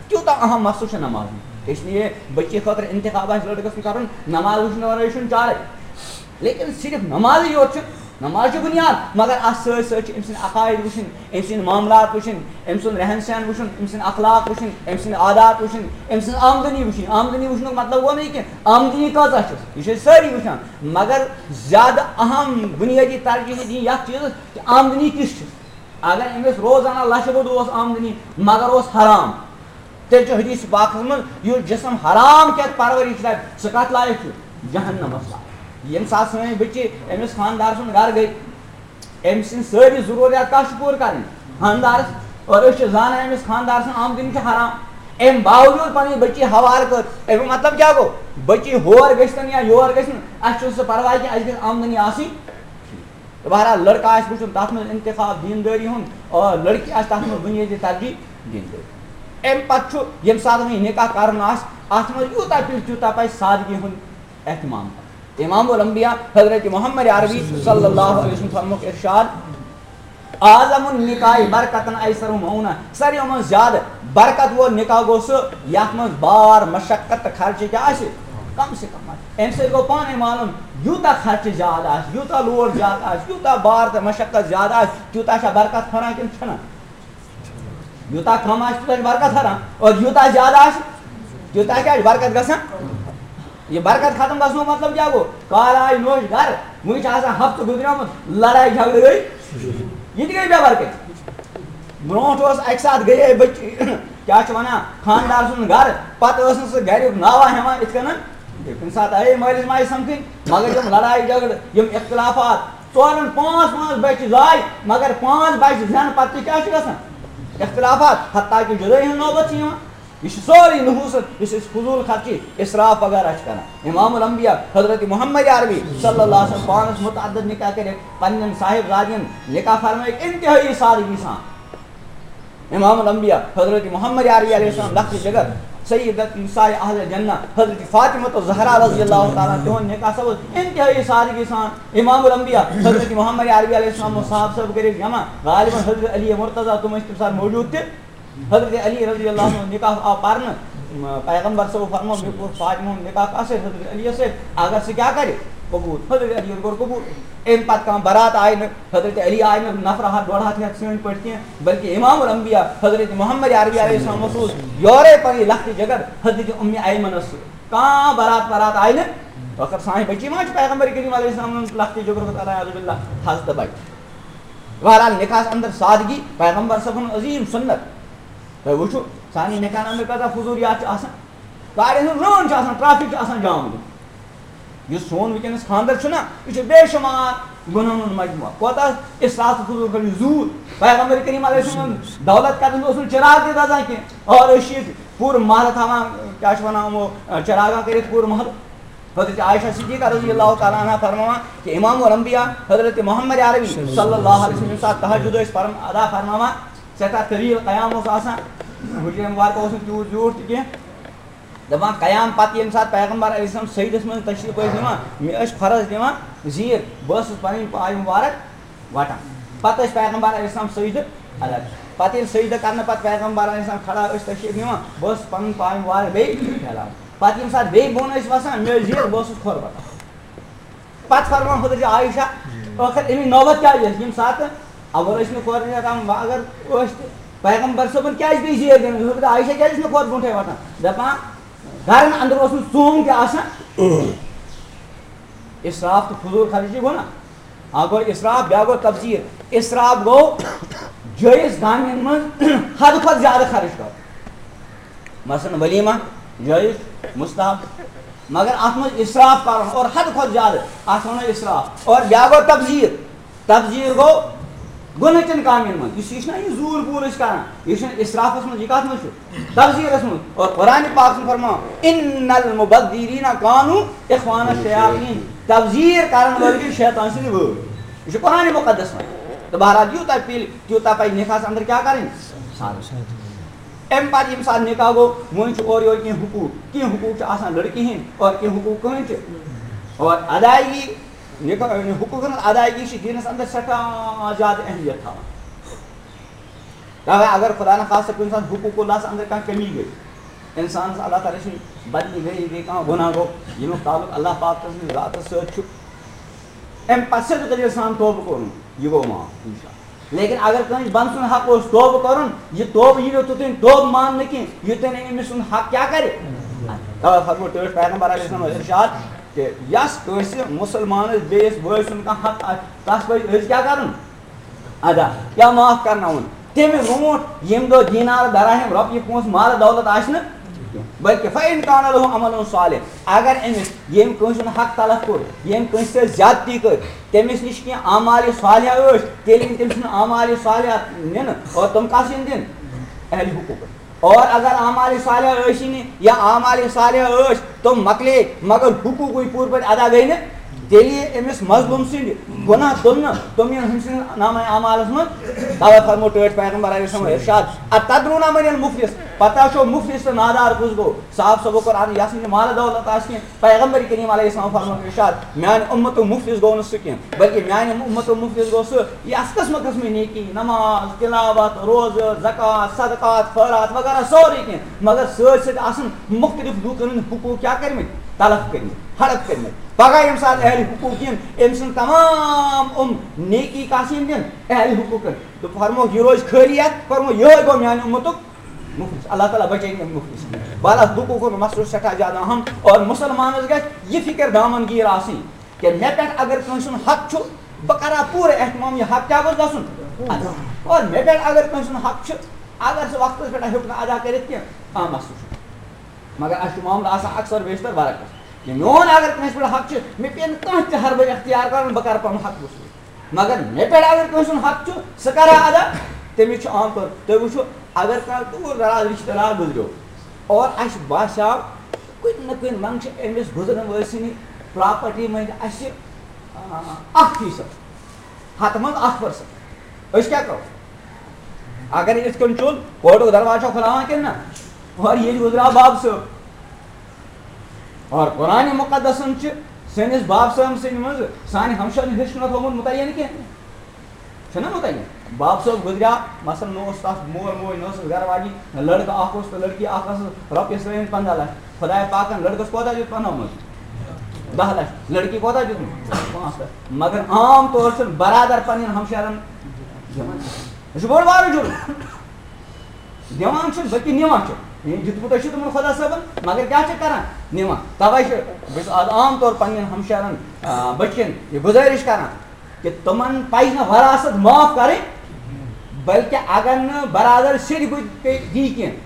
تیوٗتاہ اہم مسلہٕ چھُ نماز۔ اس لیے بچی خٲطرٕ انتخاب آسہِ لڑکس کرُن، نماز وٕچھنہٕ ورٲے چھُنہٕ چارے۔ لیکن صرف نمازٕے یوت چھُ، نماز چھِ بُنیاد، مگر اَتھ سۭتۍ سۭتۍ چھِ أمۍ سٕنٛدۍ عقاید وٕچھِنۍ، أمۍ سٕنٛدۍ معاملات وٕچھِنۍ، أمۍ سُنٛد رہن سہن وٕچھُن، أمۍ سٕنٛدۍ اخلاق وٕچھِنۍ، أمۍ سٕنٛدۍ عادات وٕچھِنۍ، أمۍ سٕنٛز آمدنی وٕچھِنۍ۔ آمدنی وٕچھنُک مطلب گوٚو نہٕ یہِ کینٛہہ آمدنی کۭژاہ چھِ، یہِ چھِ أسۍ سٲری وٕچھان، مگر زیادٕ اہم بُنیٲدی ترجیح دِنۍ یَتھ چیٖزَس کہِ آمدنی کِژھ چھِ۔ اگر أمِس روزانہ لَچھِ بوٚد اوس آمدنی، مگر اوس حرام، تیٚلہِ چھُ حدیث پاکس منٛز، یُس جسم حرام کھٮ۪تھ پرورش لبہِ، سُہ کتھ لایق چھُ؟ جہنمس لایق۔ ییٚمہِ ساتہٕ سٲنۍ بچی أمِس خانٛدار سُنٛد گرٕ گٔے، أمۍ سٕنٛدۍ سٲری ضروٗریات کتھ چھِ پوٗرٕ کرٕنۍ؟ خانٛدارس۔ اور أسۍ چھِ زانان أمِس خانٛدار سٕنٛز آمدنی چھِ حرام، أمۍ باوجوٗد پنٕنۍ بچی ہوارٕ کٔر۔ امیُک مطلب کیٛاہ گوٚو؟ بچی ہور گٔژھتن یا یور گٔژھتن، اسہِ چھُنہٕ سُہ پرواے کینٛہہ، اسہِ گٔژھ آمدنی آسٕنۍ۔ تہٕ بہرحال، لڑکہٕ آسہِ وٕچھُن تَتھ منٛز انتخاب دیٖندٲری ہُنٛد، اور لڑکی آسہِ تَتھ منٛز بُنیٲدی ترجیح دیٖندٲری۔ اَمہِ پتہٕ چھُ، ییٚمہِ ساتہٕ وۄنۍ نکاح کرُن آسہِ، اَتھ منٛز یوٗتاہ پِلہِ تیوٗتاہ پَزِ سادگی ہُنٛد اہتمام کرُن۔ امام الانبیاء حضرت محمد عربی صلی اللہ علیہ وسلم فرموک ارشاد، "اعظم النکاح برکتاً ایسر مؤونہ"، ساروِیو منٛز زیادٕ برکت وول نکاح گوٚو سُہ یَتھ منٛز بار، مشقت تہٕ خرچہٕ کیٛاہ آسہِ؟ کم سے کم آسہِ۔ اَمہِ سۭتۍ گوٚو پانَے معلوم، یوٗتاہ خرچہٕ زیادٕ آسہِ، یوٗتاہ load زیادٕ آسہِ، یوٗتاہ بار تہٕ مشقت زیادٕ آسہِ، تیوٗتاہ چھا برکت ہُران کِنہٕ چھَنہٕ؟ یوٗتاہ کم آسہِ، تیوٗتاہ چھِ برکت ہُران، اور یوٗتاہ زیادٕ آسہِ، تیوٗتاہ کیٛاہ چھِ برکت گژھان؟ یہِ برکت ختم گژھنُک مطلب کیٛاہ گوٚو؟ کالہٕ آیہِ نوٚش گرٕ، وٕنہِ چھِ آسان ہفتہٕ گُزریومُت، لڑایہِ جھگڑٕ گٔے، یہِ تہِ گٔے بے برکت۔ برونٛٹھ اوس اَکہِ ساتہٕ گٔیے بٔچی، کیٛاہ چھِ وَنان، خانٛدار سُنٛد گَرٕ، پَتہٕ ٲس نہٕ سُہ گَریُک ناوہ ہٮ۪وان یِتھ کٔنۍ۔ کُنہِ ساتہٕ آیے مٲلِس ماجہِ سَمکھٕنۍ، مگر یِم لڑایہِ جھگڑٕ، یِم اختلافات، ژورَن پانٛژھ پانٛژھ بَچہِ زاے، مگر پانٛژھ بَچہِ زٮ۪نہٕ پَتہٕ تہِ کیٛاہ چھُ گژھان؟ اختلافات، حتیٰ کہِ جُدٲیی ہُنٛد نوبت چھِ یِوان۔ یہِ چھُ سورُے نحوست، یُس أسۍ فضوٗل خرچی، اسراف وغیرہ چھِ کران۔ امام الانبیاء حضرت محمد عربی صلی اللہ علیہ وسلم پانس متعدد نکاح کٔرِتھ پننٮ۪ن صاحبزادین نکاح فرمٲیِکھ انتہٲئی سادگی سان۔ امام الانبیاء حضرت محمد عربی علیہ السلام لخت جگر، سیدت نساء اہل جنہ حضرت فاطمہ الزہرا رضی اللہ تعالیٰ عنہا، تِہُنٛد نکاح سپُد انتہٲئی سادگی سان۔ امام الانبیاء حضرت محمد عربی علیہ السلام اوس صاحب صٲب کٔرِتھ جمع، غالباً حضرت علی مرتضیٰ تِم ٲسۍ تَمہِ ساتہٕ موجود تہِ۔ حضرت علی رضی اللہ عنہ نکاح آو پرنہٕ، م-، پیغمبر صٲب فرموو، "مےٚ کوٚر فاطمہ ہُنٛد نکاح کَس سۭتۍ؟ حضرت علی سۭتۍ، اگر سُہ کیٛاہ کرِ؟ قبول۔" حضرت علی کوٚر قبول۔ اَمہِ پتہٕ کانٛہہ بارات آیہِ نہٕ، حضرت علی آیہِ نہٕ نفر ہتھ ڈۄڈ ہتھ ہٮ۪تھ سٲنۍ پٲٹھۍ کینٛہہ، بلکہ امام الانبیاء حضرت محمد عربی علیہ السلام اوس یورے پنٕنۍ لخت جگر حضرت ام ایمنس سۭتۍ۔ کانٛہہ بارات پارات آیہِ نہٕ۔ ٲخر سانہِ بچی ما چھِ پیغمبر کریم علیہ السلام لخت جگر، اللہ اعوذ باللہ، حضرت بچ۔ بہرحال، نکاحس اندر سادگی، پیغمبر صٲبُن عظیٖم سُنت۔ تُہۍ وٕچھِو، سانہِ نکاحن اندر کۭژاہ فضوٗلیات چھِ آسان۔ گاڑٮ۪ن ہُنٛد رٲن چھُ آسان، ٹریفک چھُ آسان جام گوٚمُت۔ یُس سون وٕنکیٚنَس خانٛدر چھُنہ، یہِ چھُ بے شُمار گۄناہَن ہُنٛد مجموعہ۔ کوتاہ اسراف تہٕ فضوٗل خرچی زوٗ۔ پیغمبر کریم علیہ السلام دولت کرنہٕ اوس نہٕ چراغ تہِ دَزان کینٛہہ۔ اور أسۍ چھِ ییٚتہِ پوٗرٕ محلہٕ تھاوان، کیٛاہ چھِ وَنان یِمو، چراغاں کٔرِتھ پوٗرٕ محلہٕ۔ حضرت عائشہ صدیقہ رضی اللہ تعالیٰ عنہا فرماوان کہ امام الانبیاء حضرت محمد عربی صلی اللہ علیہ وسلم ییٚمہِ ساتہٕ تہجد ٲسۍ پران، ادا فرماوان، سٮ۪ٹھاہ طویل قیام اوس آسان، حجرے مبارکہ اوس نہٕ تیوٗت زیوٗٹھ تہِ کینٛہہ۔ دَپان، قیام پتہٕ ییٚمہِ ساتہٕ پیغمبر علیہ السلام سجدس منٛز تشریف ٲسۍ نِوان، مےٚ ٲسۍ فرض دِوان زیٖر، بہٕ ٲسٕس پنٕنۍ پاے مبارک وٹان۔ پتہٕ ٲسۍ پیغمبر علیہ السلام سجدٕ الگ۔ پتہٕ ییٚلہِ سجدٕ کرنہٕ پتہٕ پیغمبر علیہ السلام کھڑا ٲسۍ تشریف نِوان، بہٕ ٲسٕس پنٕنۍ پاے مبارک بیٚیہِ پھیلاوان۔ پتہٕ ییٚمہِ ساتہٕ بیٚیہِ بۄن ٲسۍ وسان، مےٚ ٲسۍ زیٖر، بہٕ اوسُس کھۄر وٹان۔ پتہٕ فرمان حضرت عائشہ، ٲخر اَمِچ نوبت کیٛاہ یِیَس؟ ییٚمہِ ساتہٕ اول ٲسۍ نہٕ کھۄر وٹان، وۄنۍ اگر ٲسۍ تہِ پیغمبر صٲبن کیٛازِ پیٚیہِ زیٖر دِنۍ؟ حضرت عائشہ کیٛازِ ٲسۍ نہٕ کھۄر برونٛٹھے وٹان؟ دپان، گرن اندر اوس نہٕ ژوٚنگ تہِ آسان۔ اسراف تہٕ فضوٗل خرچی گوٚو نا؟ اکھ گوٚو اسراف، بیٛاکھ گوٚو تبذیر۔ اسراف گوٚو جٲیز کامٮ۪ن منٛز حد کھۄتہٕ زیادٕ خرٕچ کرُن۔ مثلاً ولیمہ جٲیز، مستحب، مگر اتھ منٛز اسراف کرُن اور حد کھۄتہٕ زیادٕ، اتھ ونو اسراف۔ اور بیٛاکھ گوٚو تبذیر۔ تبذیر گوٚو گۄنہٕچن کامٮ۪ن منٛز، یُس یہِ چھُنہ یہِ زوٗر پوٗر أسۍ کران، یہِ چھُنہٕ اسرافس منٛز، یہِ کتھ منٛز چھُ؟ تبذیرس منٛز۔ اور قرآن پاک چھُ فرماوان، "ان المبذرین کانوا اخوان الشیاطین"، تبذیر کرن وٲلۍ گٔے شیطان سٕنٛدۍ وٲرۍ۔ یہِ چھُ قرآن مقدس منٛز۔ تہٕ بہرحال، یوٗتاہ پِلہِ، تیوٗتاہ پزِ نکاحس اندر کیٛاہ کرٕنۍ؟ سادٕ۔ اَمہِ پَتہٕ ییٚمہِ ساتہٕ نِکاح گوٚو، وۄنۍ چھُ اورٕ یورٕ کینٛہہ حقوٗق، کینٛہہ حقوٗق چھِ آسان لٔڑکی ہِنٛدۍ اور کینٛہہ حقوٗق کٕہٕنٛدۍ چھِ۔ اور ادائیگی، نِکاح، حقوٗقن ہٕنٛز ادائیگی چھِ دیٖنَس اندر سٮ۪ٹھاہ زیادٕ اہمیت تھاوان۔ تَوَے اگر خدا نخواستہ کُنہِ ساتہٕ حقوٗق اللہَس اندر کانٛہہ کمی گٔے، اِنسانَس اللہ تعالیٰ سٕنٛدِ بدلی گٔے، یہِ گٔے کانٛہہ گۄناہ گوٚو، ییٚمیُک تعلق اللہ پاک سٕنٛدِ ذاتَس سۭتۍ چھُ، اَمہِ پَتہٕ سیوٚدُے دٔلیٖل سان توبہٕ کوٚرُن، یہِ گوٚو معاف، اِنشاءاللہ۔ لیکن اگر کٲنٛسہِ بنٛدٕ سُنٛد حق اوس توبہٕ کَرُن، یہِ توبہٕ یی نہٕ توٚتام توبہٕ ماننہٕ کینٛہہ، یوٚتام نہٕ أمِس سُنٛد حق کیٛاہ کَرِ۔ تَوَے فرموو ٹٲٹھۍ پیغمبر علیہ السلام ارشاد کہِ یَس کٲنٛسہِ مُسلمانَس بیٚیِس بٲے سُنٛد کانٛہہ حق آسہِ، تَس پَزِ أسۍ کیٛاہ کَرُن؟ ادا، یا معاف کرناوُن۔ تَمہِ برونٛٹھ ییٚمہِ دۄہ دینار دراہم رۄپیہِ پونٛسہٕ مال دولت آسہِ نہٕ کینٛہہ، بلکہِ فَإِنْ كَانَ لَهُ عَمَلٌ صَالِحٌ، اگر أمِس ییٚمہِ کٲنٛسہِ ہُنٛد حق تلف کوٚر، ییٚمہِ کٲنٛسہِ سۭتۍ زیادتی کٔر، تٔمِس نِش کینٛہہ اعمال صالحہ ٲسۍ، تیٚلہِ یِن تٔمۍ سٕنٛدۍ اعمال صالحہ نِنہٕ۔ اور تِم کَس یِن دِنہٕ؟ اہل حقوٗقن۔ اور اگر اعمال صالحہ ٲسی نہٕ یا اعمال صالحہ ٲسۍ، تِم مۄکلے، مگر حقوٗقٕے پوٗرٕ پٲٹھۍ ادا گٔے نہٕ، تیٚلہِ یہِ أمِس مظلوٗم سٕنٛدۍ گۄناہ تُلنہٕ، تِم یِن ہُمۍ سٕنٛدِس نامہ اعمالس منٛز۔ تَوَے فرموو ٹٲٹھۍ پیغمبر علیہ السلام ارشاد، "أتدرون من المفلس؟" پتہ چھو مفلس تہٕ نادار کُس گوٚو؟ صاف صٲبو کوٚر عرض، یَس نہٕ مال دولت آسہِ کینٛہہ، پیغمبر کریم علیہ السلام فرموو ارشاد، میانہِ اُمتُک مفلس گوٚو نہٕ سُہ کینٛہہ، بلکہِ میانہِ اُمتُک مفلس گوٚو سُہ یَس قٕسمہٕ قٕسمٕچ نیکی، نماز، تلاوت، روزٕ، زکوٰۃ، صدقات، خٲرات وغیرہ سورُے کینٛہہ، مگر سۭتۍ سۭتۍ آسَن مُختٔلِف لوٗکَن ہٕنٛدۍ حقوٗق کیٛاہ کٔرمٕتۍ؟ تلف کٔرمٕتۍ، ہڑپ کٔرمٕتۍ۔ پگاہ ییٚمہِ ساتہٕ اہلِ حقوٗق یِن، أمۍ سٕنٛز تمام یِم نیکی کَس یِن دِنہٕ؟ اہلِ حقوٗقَن۔ تہٕ فرمووُکھ، یہِ روزِ خٲلی اَتھ، فرمووُکھ، یِہوٚے گوٚو میٛانہِ اُمتُک مُفلِس۔ اللہ تعالیٰ بچٲیِن اَمہِ مُفلِس۔ بہرحال، حقوٗقُک مسلہٕ چھُ سٮ۪ٹھاہ زیادٕ اہم اور مُسلمانَس گژھِ یہِ فِکر دامن گیٖر آسٕنۍ۔ کہ مےٚ پٮ۪ٹھ اگر کٲنٛسہِ ہُنٛد حق چھُ، بہٕ کرا پوٗرٕ اہتمام، یہِ حق کیٛاہ گوٚژھ گژھُن؟ ادا۔ اور مےٚ پٮ۪ٹھ اگر کٲنٛسہِ ہُنٛد حق چھُ، اگر سُہ وقتس پٮ۪ٹھ ہیوٚک نہٕ ادا کٔرِتھ کینٛہہ، کانٛہہ مسلہٕ چھُنہٕ۔ مگر اَسہِ چھُ معاملہٕ آسان اکثر بیشتر برعکس۔ یہِ میون اگر کٲنٛسہِ پٮ۪ٹھ حق چھُ، مےٚ پیٚیہِ نہٕ کانٛہہ تہِ حربہٕ اختیار کرُن، بہٕ کرٕ پنُن حق وصوٗل۔ مگر مےٚ پٮ۪ٹھ اگر کٲنٛسہِ ہُنٛد حق چھُ، سُہ کرا ادا۔ تٔمِس چھُ عام طور، تُہۍ وٕچھِو، اگر کانٛہہ دوٗر دراز رشتہٕ دار گُزریو اور اَسہِ باسیو، کُنہِ نہ کُنہِ منٛگہٕ چھِ أمِس گُزرن وٲلۍ سٕنٛدِ پراپرٹی منٛز اَسہِ، آ، اکھ فیٖصد، ہَتھ منٛز اکھ پٔرسنٹ۔ أسۍ کیٛاہ کرو؟ اگر یِتھ کٔنۍ چوٚل، کوٹُک دروازٕ چھا کھُلاوان کِنہٕ نہ؟ اور ییٚلہِ گُزریو باب صٲب، اور قرآن مُقدسن چھِ سٲنِس باب صٲب سٕنٛدِ منٛز سانہِ ہمشیرن ہیوٚچھ نہ تھوٚومُت مُتعین کینٛہہ۔ چھُنہ مُتعین؟ باب صٲب گُزریو، مثلاً، نہ اوس تَس مول موج، نہ ٲسٕس گرٕ واجِنۍ، لٔڑکہٕ اکھ اوس تہٕ لٔڑکی اکھ ٲسٕس، رۄپیَس ترٲوِن پنٛداہ لَچھ۔ خۄدایا پاکَن لٔڑکَس کوتاہ دیُت؟ پنٛداہ منٛز دَہ لَچھ۔ لٔڑکی کوتاہ دیُتمُت؟ پانٛژھ لَچھ۔ مگر عام طور چھُنہٕ برادر پنٛنٮ۪ن ہمشیرَن دِوان۔ یہِ چھُ بوٚڑ بارٕ جُرم۔ دِوان چھِ، بلکہِ نِوان چھِ۔ یہِ دیُتمُت چھُ تِمَن خۄدا صٲبَن، مگر کیٛاہ چھِ کران؟ نِوان۔ تَوَے چھِ بہٕ چھُس آز عام طور پنٛنٮ۪ن ہمشیرَن، آ، بٔچِیَن یہِ گُزٲرِش کران، کہ تِمن پزِ نہٕ وراثت معاف کرٕنۍ، بلکہ اگر نہٕ برادر سیٚدِ بُتھِ پیٚیہِ دی کینٛہہ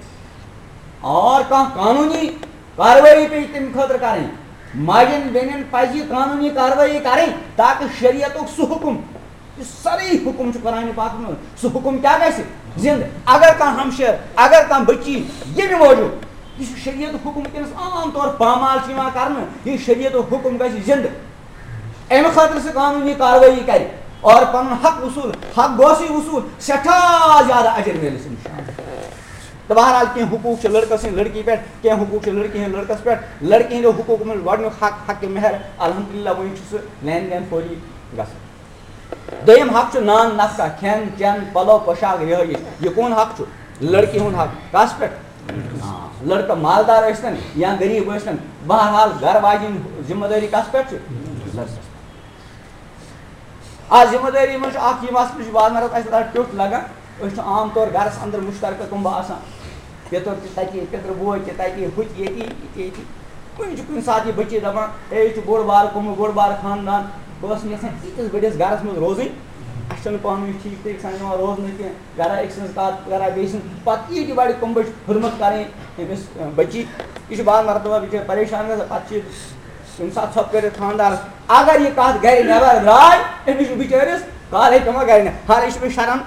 اور کانٛہہ قانوٗنی کاروٲیی پیٚیہِ تَمہِ خٲطرٕ کرٕنۍ، ماجٮ۪ن بیٚنٮ۪ن پزِ یہِ قانوٗنی کاروٲیی کرٕنۍ تاکہ شریعتُک سُہ حُکم یُس سٲری حُکم چھُ قرآنِ پاکس منٛز، سُہ حُکم کیٛاہ گژھِ؟ زِندٕ۔ اگر کانٛہہ ہمشیر، اگر کانٛہہ بٔچی ییٚمہِ موٗجوٗب، یہِ چھُ شریعتُک حُکم وٕنکیٚنس عام طور پامال چھُ یِوان کرنہٕ، یہِ شریعتُک حُکم گژھِ زِندٕ۔ اَمہِ خٲطرٕ سُہ قانوٗنی کاروٲیی کرِ اور پنُن حق وصوٗل، حق گوسٕے وصوٗل، سٮ۪ٹھاہ زیادٕ اجر میلٮ۪س اِنشاءاللہ۔ تہٕ بہرحال کینٛہہ حقوٗق چھِ لٔڑکَس ہٕنٛدۍ لٔڑکی پٮ۪ٹھ، کینٛہہ حقوٗق چھِ لٔڑکی ہٕنٛدۍ لٔڑکَس پٮ۪ٹھ۔ لٔڑکی ہٕنٛدیو حقوٗقو منٛز گۄڈٕنیُک حق، حق مہر، الحمدللہ وۄنۍ چھُ سُہ لین دین فوری گژھان۔ دوٚیِم حق چھُ نان نفقہ، کھٮ۪ن چٮ۪ن، پَلو پوشاک، رِہٲیِش۔ یہِ کون حق چھُ؟ لٔڑکی ہُنٛد حق۔ کَس پٮ۪ٹھ؟ آ، لٔڑکہٕ مالدار ٲسۍتَن یا غریٖب ٲسۍتَن، بہرحال گَرٕ واجِنۍ ذمہٕ دٲری کَس پٮ۪ٹھ چھِ؟ لٔڑکَس پٮ۪ٹھ۔ آ، ذمہٕ دٲری منٛز چھُ اَکھ یہِ مسلہٕ، یہِ چھُ بعض مرات اَسہِ تھوڑا ٹیوٚٹھ لَگان۔ أسۍ چھِ عام طور گَرَس اَندَر مُشترکہٕ کُمبہٕ آسان، پِتُر تہِ تَتی، پِتُر بوے تہِ تَتی، ہُہ تہِ ییٚتی، یہِ تہِ ییٚتی۔ وٕنہِ چھُ کُنہِ ساتہٕ یہِ بٔچی دَپان، "ہے، یہِ چھُ بوٚڑ بارٕ کُمبہٕ، بوٚڑ بارٕ خاندان، بہٕ ٲسٕس نہٕ یَژھان ییٖتِس بٔڑِس گَرَس منٛز روزٕنۍ، اَسہِ چھَنہٕ پانہٕ ؤنۍ ٹھیٖک طریٖقہٕ سان یِوان روزنہٕ کینٛہہ، گَرا أکۍ سٕنٛز کَتھ، گَرا بیٚیہِ سٕنٛز۔" پَتہٕ یی تہِ بَڑِ کُمبٕچ خدمت کَرٕنۍ أمِس، اَ، بٔچی۔ یہِ چھُ بعض مرتبہ بِچٲرۍ پریشان گژھان، پَتہٕ چھِ ییٚمہِ ساتہٕ ژھۄپہٕ کٔرِتھ خانٛدارَس، اگر یہِ کَتھ گَرِ نٮ۪بَر درٛاے، أمِس چھُ بِچٲرِس کالَے پٮ۪وان گَرِ نٮ۪-، حالانکہِ یہِ چھُ أمِس شرعن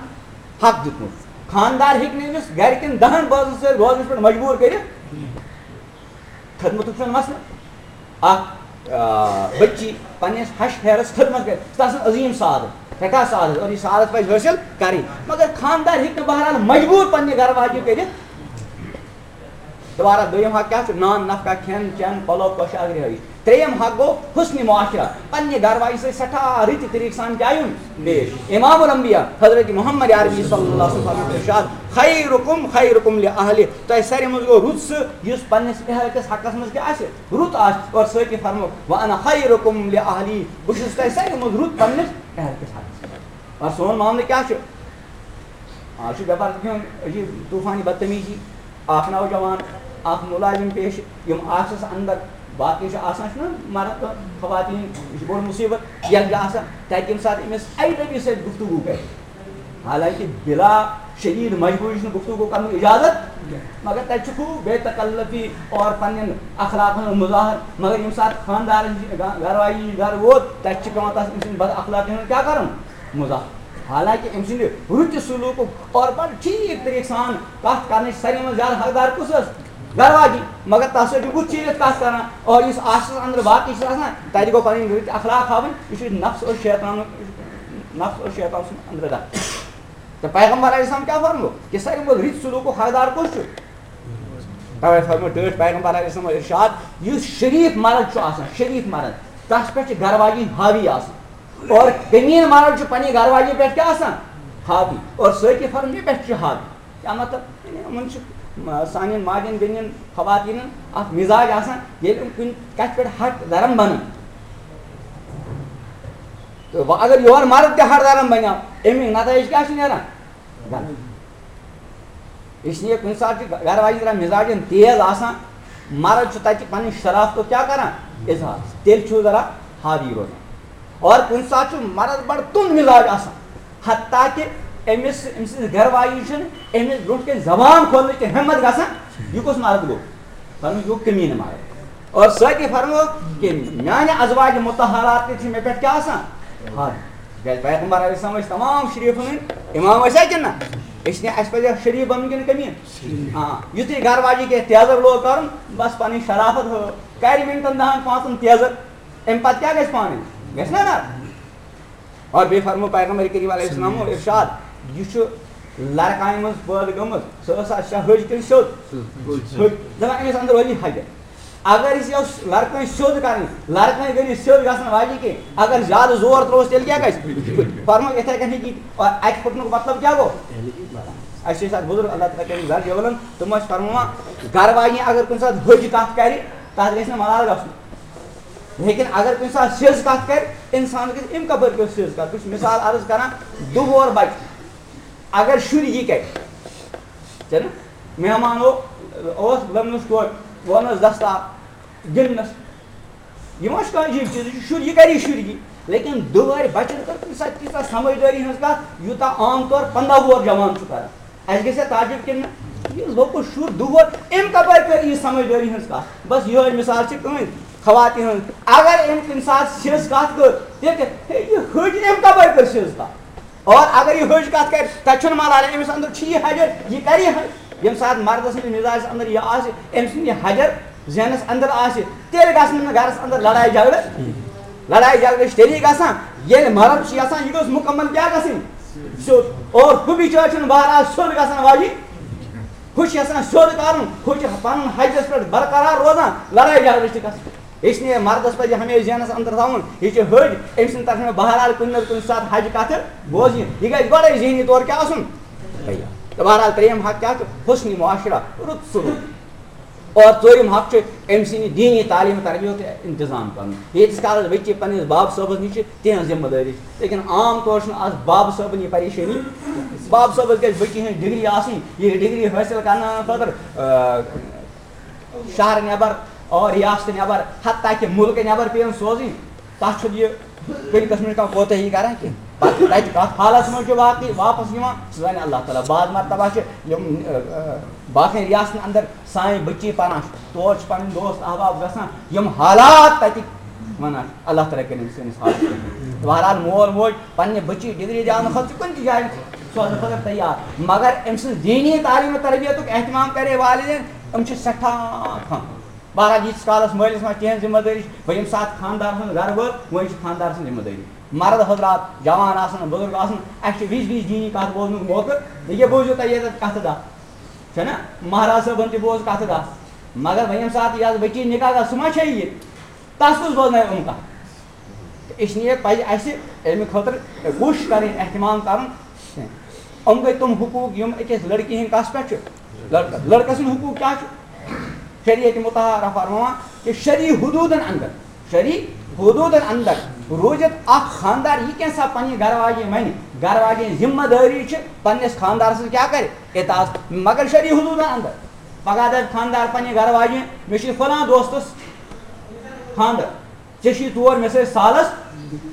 حق دیُتمُت۔ خانٛدار ہیٚکہِ نہٕ أمِس گَرِکٮ۪ن دَہَن بٲژَن سۭتۍ روزنَس پٮ۪ٹھ مجبوٗر کٔرِتھ۔ خدمتُک چھُنہٕ مسلہٕ۔ اَکھ، آ، بٔچی پنٛنِس ہَش پھیرَس خدمت کَرِ، سُہ آسان عظیٖم سعادت، سٮ۪ٹھاہ سعادت، اور یہِ سعادت پَزِ حٲصِل کَرٕنۍ۔ مگر خانٛدار ہیٚکہِ نہٕ بہرحال مجبوٗر پنٛنہِ گَرٕ واجہِ کٔرِتھ۔ دوبارہ دوٚیِم حق کیٛاہ چھُ؟ نان نفقہ، کھٮ۪ن چٮ۪ن، پلو پوشاک، رہٲیِش۔ ترٛیٚیِم حق گوٚو حسن معاشرہ، پننہِ گرٕ واجہِ سۭتۍ سٮ۪ٹھاہ رٕتہِ طریٖقہٕ سان کیٛاہ یُن پیش۔ امام الانبیاء حضرت محمد عربی صلی اللہ علیہ وسلم فرموو ارشاد، خیرکم خیرکم لأہلہ، تۄہہِ ساروی منٛز گوٚو رُت سُہ یُس پننِس اہل کِس حقس منٛز کیٛاہ آسہِ؟ رُت آسہِ۔ اور سۭتی فرموو، وانا خیرکم لأہلی، بہٕ چھُس تۄہہِ ساروی منٛز رُت پننِس اہل کِس حقس منٛز۔ اور سون معاملہٕ کیٛاہ چھُ؟ آز چھُ بٮ۪پار کیُن عجیٖب طوٗفانی بدتمیٖزی۔ اکھ نوجوان، اکھ مُلازِم پیش، یِم آفسَس اندر باقٕے چھِ آسان، چھُنہ مرد تہٕ خواتین، یہِ چھُ بوٚڑ مُصیٖبت۔ یَتھ چھُ آسان تَتہِ ییٚمہِ ساتہٕ أمِس اَجنبی سۭتۍ گفتگو کرِ، حالانکہ بلا شدید مجبوری چھُنہٕ گفتگو کرنُک اجازت، مگر تَتہِ چھُ خوٗب بے تکلفی اور پننٮ۪ن اخلاقن ہُنٛد مظاہر۔ مگر ییٚمہِ ساتہٕ خاندارن چھِ، گا-، گرٕ واجہِ نِش گرٕ ووت، تَتہِ چھِ پٮ۪وان تَس أمۍ سٕنٛدِ بد اخلاقی ہُنٛد کیٛاہ کرُن؟ مظاہر۔ حالانکہ أمۍ سٕنٛدِ رٕتہِ سلوٗکُک اور بڑٕ ٹھیٖک طریٖقہٕ سان کتھ کرنٕچ ساروی منٛز زیادٕ حقدار کُس ٲس؟ گرٕ واجی۔ مگر تس سۭتۍ چھُ بُتھ چیٖرِتھ کتھ کران۔ اور یُس آفسس اندر باقٕے چھِ آسان، تتہِ گوٚو پنٕنۍ رٕتۍ اخلاق ہاوٕنۍ۔ یہِ چھُ نفس اور شیطانُک، نفس اور شیطان سُنٛد اندر داخل۔ تہٕ پیغمبر علیہ السلام کیٛاہ فرموو؟ کہِ ساروی منٛز رٕتۍ سلوٗکُک حقدار کُس چھُ؟ توے فرموو ٹٲٹھۍ پیغمبر علیہ السلام ارشاد، یُس شریف مرد چھُ آسان، شریف مرد، تس پٮ۪ٹھ چھِ گرٕ واجِنۍ حاوی آسان۔ اور کمیٖن مرد چھُ پننہِ گرٕ واجِنۍ پٮ۪ٹھ کیٛاہ آسان؟ حاوی۔ اور سۭتی فرموو، مےٚ پٮ۪ٹھ چھُ حاوی۔ کیٛاہ مطلب؟ یعنی یِمن چھُ، م-، سانٮ۪ن ماجٮ۪ن، بیٚنٮ۪ن، خواتیٖنن اکھ مِزاج آسان، ییٚلہِ یِم کُنہِ کتھِ پٮ۪ٹھ ہٹ درم بنن۔ تہٕ وۄنۍ اگر یورٕ مرد تہِ ہٹ درم بنیو، اَمِکۍ نتٲیج کیٛاہ چھِ نیران؟ غلط۔ اس لیے کُنہِ ساتہٕ چھُ گرٕ واجہِ ذرا مِزاجن تیز آسان، مرد چھُ تتہِ پننہِ شرافتُک کیٛاہ کران؟ اظہار۔ تیٚلہِ چھُ ذرا حاوی روزان۔ اور کُنہِ ساتہٕ چھُ مرد بڑٕ تُند مِزاج آسان، حتیٰ کہِ أمِس، أمۍ سٕنٛز گرٕ واجی چھُنہٕ أمِس برونٛٹھ کَنہِ زبان کھولنٕچ تہِ ہمت گژھان، یہِ کُس مرد گوٚو؟ فرموو، یہِ گوٚو کمیٖنہٕ مرد۔ اور سۭتی فرموو کہِ میانہِ ازواج مطہرات تہِ چھِ مےٚ پٮ۪ٹھ کیٛاہ آسان؟ حاوی۔ تِکیٛازِ پیغمبر علیہ السلام ٲسۍ تمام شریٖفن ہٕنٛدۍ امام، ٲسیا کِنہٕ نہ؟ أسۍ نے، اَسہِ پَزِ شریٖف بَنُن کِنہٕ کمیٖن؟ آ، یُتھُے گرٕ واجہِ کینٛہہ تیزر لوگ کَرُن، بس پَنٕنۍ شرافت ہٲو، کَرِ مِنٹَن دَہَن پانٛژَن تیزر، اَمہِ پَتہٕ کیٛاہ گژھِ پانہٕ؟ گژھِ نہ نہ؟ اور بیٚیہِ فرموو پیغمبر کریم علیہ السلام ارشاد، یہِ چھُ لڑکانہِ منٛز پٲدٕ گٔمٕژ، سۄ ٲسا سۄ ۂج کِنہٕ سیوٚد؟ ۂج۔ دَپان أمِس اندر وٲلی حجر۔ اگر أسۍ یۄس لڑکٲنۍ سیوٚد کرٕنۍ، لڑکٲنۍ گٔے نہٕ سیوٚد گژھن واجی کینٛہہ، اگر زیادٕ زور ترٛووُس تیٚلہِ کیٛاہ گژھِ؟ فرموو یِتھَے کٔنۍ ہیٚکہِ یہِ، اور اَتہِ پھُٹنُک مطلب کیٛاہ گوٚو؟ اَسہِ چھِ أسۍ اَتھ بُزرگ اللہ تعالیٰ کٔرِنۍ زر جوانن، تِم ٲسۍ فرماوان، گرٕ واجنہِ اگر کُنہِ ساتہٕ ۂج کَتھ کَرِ، تَتھ گژھِ نہٕ ملال گژھُن۔ لیکن اگر کُنہِ ساتہٕ سیٚز کَتھ کَرِ، اِنسان گژھِ اَمہِ کَپٲرۍ پیوٚو سیٚز کَتھ۔ بہٕ چھُس مِثال عرض کَران، دُوہور بَچہِ، اگر شُرۍ یہِ کَرِ، چھَنہٕ؟ مہمان او-، اوس لٔمنَس ٹوٹھ، وونَس دَستار، گِنٛدنَس۔ یہِ ما چھُ کانٛہہ عجیٖب چیٖز؟ یہِ چھُ شُر، یہِ کَرِ شُرۍ یہِ۔ لیکن دُوہَرِ بَچَن کٔر کُنہِ ساتہٕ تیٖژاہ سَمجھدٲری ہٕنٛز کَتھ، یوٗتاہ عام طور پنٛداہ وُہَر جوان چھُ کَران۔ اَسہِ گژھِ ہا تعجب کِنہٕ نہ؟ یہِ لۄکُٹ شُر دُوہَر، أمۍ کَپٲرۍ کٔر یہِ سَمجھدٲری ہٕنٛز کَتھ؟ بَس یِہوٚے مِثال چھِ کٕہٕنۍ خواتین ہٕنٛز۔ اگر أمۍ کُنہِ ساتہٕ سیٚز کَتھ کٔر، تیٚلہِ کیٛاہ؟ ہے، یہِ ۂج أمۍ کَپٲرۍ کٔر سیٚز کَتھ؟ اور اگر یہِ ۂج کَتھ کَرِ، تَتہِ چھُنہٕ ملال، أمِس اندر چھُ یہِ حجر، یہِ کَرِ یہِ حج۔ ییٚمہِ ساتہٕ مردَس سٕنٛدِس مِزاجَس اندر یہِ آسہِ، أمۍ سُنٛد یہِ حجر ذہنَس اندر آسہِ، تیٚلہِ گژھِ نہٕ گَرَس اندر لڑایہِ جھگڑٕ۔ لڑایہِ جھگڑٕ چھِ تیٚلی گژھان، ییٚلہِ مرد چھُ یژھان، یہِ گٔژھ مُکمل کیٛاہ گژھٕنۍ؟ سیوٚد۔ اور ہُہ بِچٲرۍ چھُنہٕ بہرحال سیوٚد گژھان واجہِ۔ ہُہ چھُ یژھان سیوٚد کَرُن، ہُہ چھُ پَنُن حجَس پٮ۪ٹھ برقرار روزان، لڑایہِ جھگڑٕ چھِ گژھان۔ اس لیے مردس پزِ ہمیشہِ ذہنس اندر تھاوُن، یہِ چھِ ۂج، أمۍ سٕنٛدِ طرفہٕ مےٚ بہرحال کُنہِ نتہٕ کُنہِ ساتہٕ حج کتھٕ بوزنہِ۔ یہِ گژھِ گۄڈے ذہنی طور کیٛاہ آسُن؟ تیار۔ تہٕ بہرحال ترٛیٚیِم حق کیٛاہ چھُ؟ حسن معاشرہ، رُت سلوک۔ اور ژوٗرِم حق چھُ أمۍ سٕنٛدِ دیٖنی تعلیٖم تربیت انتظام کرُن۔ ییٖتِس کالس بچی پننِس باب صٲبس نِش چھِ، تِہنٛز ذمہٕ دٲری چھِ۔ لیکن عام طور چھُنہٕ از باب صٲبن یہِ پریشٲنی، باب صٲبس گژھِ بچی ہٕنٛز ڈگری آسٕنۍ، یہِ ڈگری حٲصِل کرنہٕ خٲطرٕ، آ، شہر نٮ۪بر اور ریاست نٮ۪بر، حتیٰ کہ مُلکہٕ نٮ۪بر پیٚیَن سوزٕنۍ، تَتھ چھُنہٕ یہِ کُنہِ قٕسمٕچ کانٛہہ کوتٲہی کران کینٛہہ۔ پتہٕ تَتہِ کَتھ حالس منٛز چھُ واقعی واپس یِوان، سُہ زانہِ اللہ تعالیٰ۔ بعض مرتبہ چھِ یِم، ٲ، ٲ، باقٕے ریاستن اندر سانہِ بٔچی پران چھِ، تور چھِ پنٕنۍ دوست احباب گژھان، یِم حالات تَتِکۍ وَنان چھِ، اللہ تعالیٰ کٔرِنۍ سٲنِس حالس۔ بہرحال مول موج پننہِ بٔچی ڈگری دیاونہٕ خٲطرٕ چھُ کُنہِ تہِ جایہِ سوزنہٕ خٲطرٕ تیار، مگر أمۍ سٕنٛز دیٖنی تعلیٖم و تربیتُک اہتمام کرے والدین، یِم چھِ سٮ۪ٹھاہ کم۔ بہرحال ییٖتِس کالس مٲلِس ماجہِ تِہنٛز ذمہٕ دٲری چھِ، وۄنۍ ییٚمہِ ساتہٕ خانٛدار سُنٛد گرٕ وٲژ، وۄنۍ چھِ خانٛدار سٕنٛز ذمہٕ دٲری۔ مرد حضرات، جوان آسن، بزرگ آسن، اَسہِ چھُ وِزِ وِزِ دیٖنی کتھ بوزنُک موقعہٕ۔ یہِ بوٗزِو تُہۍ ییٚتٮ۪تھ کتھٕ دَہ، چھےٚ نہ؟ مہراز صٲبن تہِ بوز کتھٕ دَہ۔ مگر وۄنۍ ییٚمہِ ساتہٕ یَتھ بٔچی نِکاح گژھِ، سُہ ما چھےٚ یہِ؟ تَس کُس بوزنایہِ یِم کَتھ؟ تہٕ اس لیے پَزِ اَسہِ اَمہِ خٲطرٕ کوٗشِش کَرٕنۍ، اہتمام کَرُن۔ یِم گٔے تِم حقوٗق یِم أکِس لٔڑکی ہِنٛدۍ کَس پٮ۪ٹھ چھِ؟ لٔڑکَس۔ لٔڑکَس سٕنٛدۍ حقوٗق کیٛاہ چھِ؟ شریعت مطہرہ فرماوان کہِ شرعی حدوٗدَن اَندَر، شرعی حدوٗدَن اَندَر روٗزِتھ اَکھ خانٛدار یہِ کینٛژھا پنٛنہِ گَرٕ واجیٚنۍ وَنہِ، گَرٕ واجیٚنۍ ذمہٕ دٲری چھِ پنٛنِس خانٛدار سٕنٛز کیٛاہ کَرِ؟ اطاعت، مگر شرعی حدوٗدَن اَندَر۔ پگاہ دَپہِ خانٛدار پنٛنہِ گَرٕ واجیٚنۍ، مےٚ چھُ فلان دوستَس خانٛدر، ژےٚ چھُے تور، مےٚ سۭتۍ سالَس،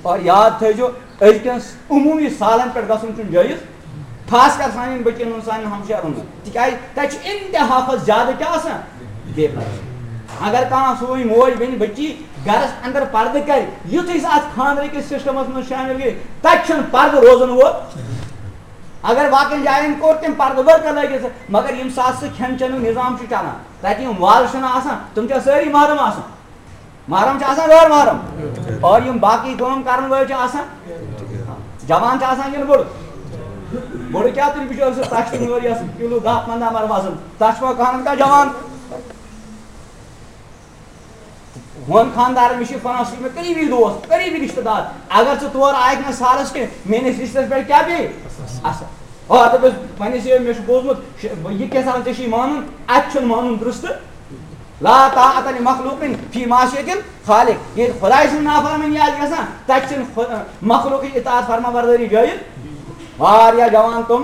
اور یاد تھٲیزیو، أزکٮ۪ن عموٗمی سالَن پٮ۪ٹھ گژھُن چھُنہٕ جٲیِز، خاص کر سانٮ۪ن بٔچِیَن ہُنٛد، سانٮ۪ن ہمشیرَن ہُنٛد، تِکیٛازِ تَتہِ چھُ اِنتہا کھۄتہٕ زیادٕ کیٛاہ آسان؟ بے پردٕ۔ اگر کانٛہہ سٲنۍ موج بیٚنہِ بٔچی گَرَس اَندَر پردٕ کَرِ، یُتھُے سُہ اَتھ خانٛدرٕ کِس سِسٹَمَس منٛز شٲمِل گٔے، تَتہِ چھُنہٕ پردٕ روزَن وول۔ اگر باقین جاین کوٚر تٔمۍ پردٕ ؤرکہٕ لٲگِتھ، مگر ییٚمہِ ساتہٕ سُہ کھٮ۪ن چٮ۪نُک نظام چھُ چلان، تتہِ یِم وازٕ چھِنہٕ آسان، تِم چھا سٲری محرم آسان؟ محرم چھِ آسان غٲر محرم؟ اور یِم باقی کٲم کرن وٲلۍ چھِ آسان؟ جوان چھِ آسان کِنہٕ بُڑٕ؟ بُڑٕ کیٛاہ، تُلہِ بِچٲرۍ سُہ تَش تہٕ نٲر یَس کِلوٗ دَہ پنٛداہ مَرٕ وزن، تَس چھُ کانٛہہ کانٛہہ جوان؟ ہون خانٛدارَن، مےٚ چھِ فلان، سُہ چھُ مےٚ قریٖبی دوست، قریٖبی رِشتہٕ دار۔ اگر ژٕ تور آیکھ نہٕ سالَس کینٛہہ، میٛٲنِس رِشتَس پٮ۪ٹھ کیٛاہ پیٚیہِ اثر؟ اور دوٚپُس، وۄنۍ ٲسۍ یہِ، مےٚ چھُ بوٗزمُت، شِ-، بہٕ، یہِ کیٛاہ سا ژےٚ چھُے مانُن؟ اَتہِ چھُنہٕ مانُن درٛستہٕ۔ لا طاعة لمخلوق فی معصیت الخالق۔ ییٚلہِ خۄداے سٕنٛز نافرمٲنی آسہِ گژھان، تَتہِ چھِنہٕ خۄ-، مخلوقٕچ اطاعت، فرما بردٲری جٲیِز۔ واریاہ جوان تِم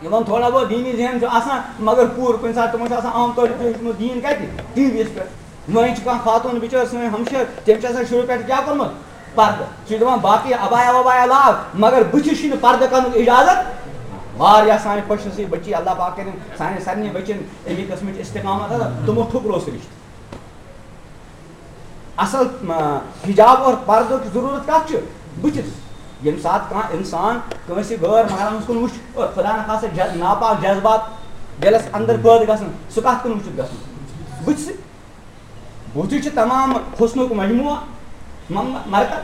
یِمن تھوڑا بہت دیٖنی ذہن چھُ آسان، مگر پوٗرٕ کُنہِ ساتہٕ تِمن چھُ آسان عام طور پٲٹھۍ وٕچھمُت دیٖن کَتہِ؟ ٹی وی یَس پٮ۪ٹھ۔ وۄنۍ چھِ کانٛہہ خاتوٗن بِچٲر سٲنۍ ہمشیر، تٔمۍ چھِ آسان شروٗع پٮ۪ٹھ کیٛاہ کوٚرمُت؟ پردٕ۔ سُہ چھُ دَپان، باقٕے عبایا وبایا لاگ، مگر بٕتھِس چھُنہٕ پردٕ کرنُک اجازت۔ واریاہ سانہِ خۄش نصیٖب بٔچی، اللہ پاک کٔرِنۍ سانہِ سارنٕے بٔچین اَمی قٕسمٕچ استقامت عطا، تِمو ٹھُکرو سُہ رِشتہٕ۔ اصل، آ، حجاب اور پردُک ضروٗرت کتھ چھِ؟ بٕتھِس۔ ییٚمہِ ساتہٕ کانٛہہ انسان کٲنٛسہِ غٲر محرمس کُن وٕچھِ اور خدا نخواستہ ج-، ناپاک جذبات دِلس اندر پٲدٕ گژھن، سُہ کتھ کُن وٕچھِتھ گژھُن؟ بٕتھِسٕے۔ بُتھِس چھُ تمام حسنُک مجموعہ، مم-، مرکب۔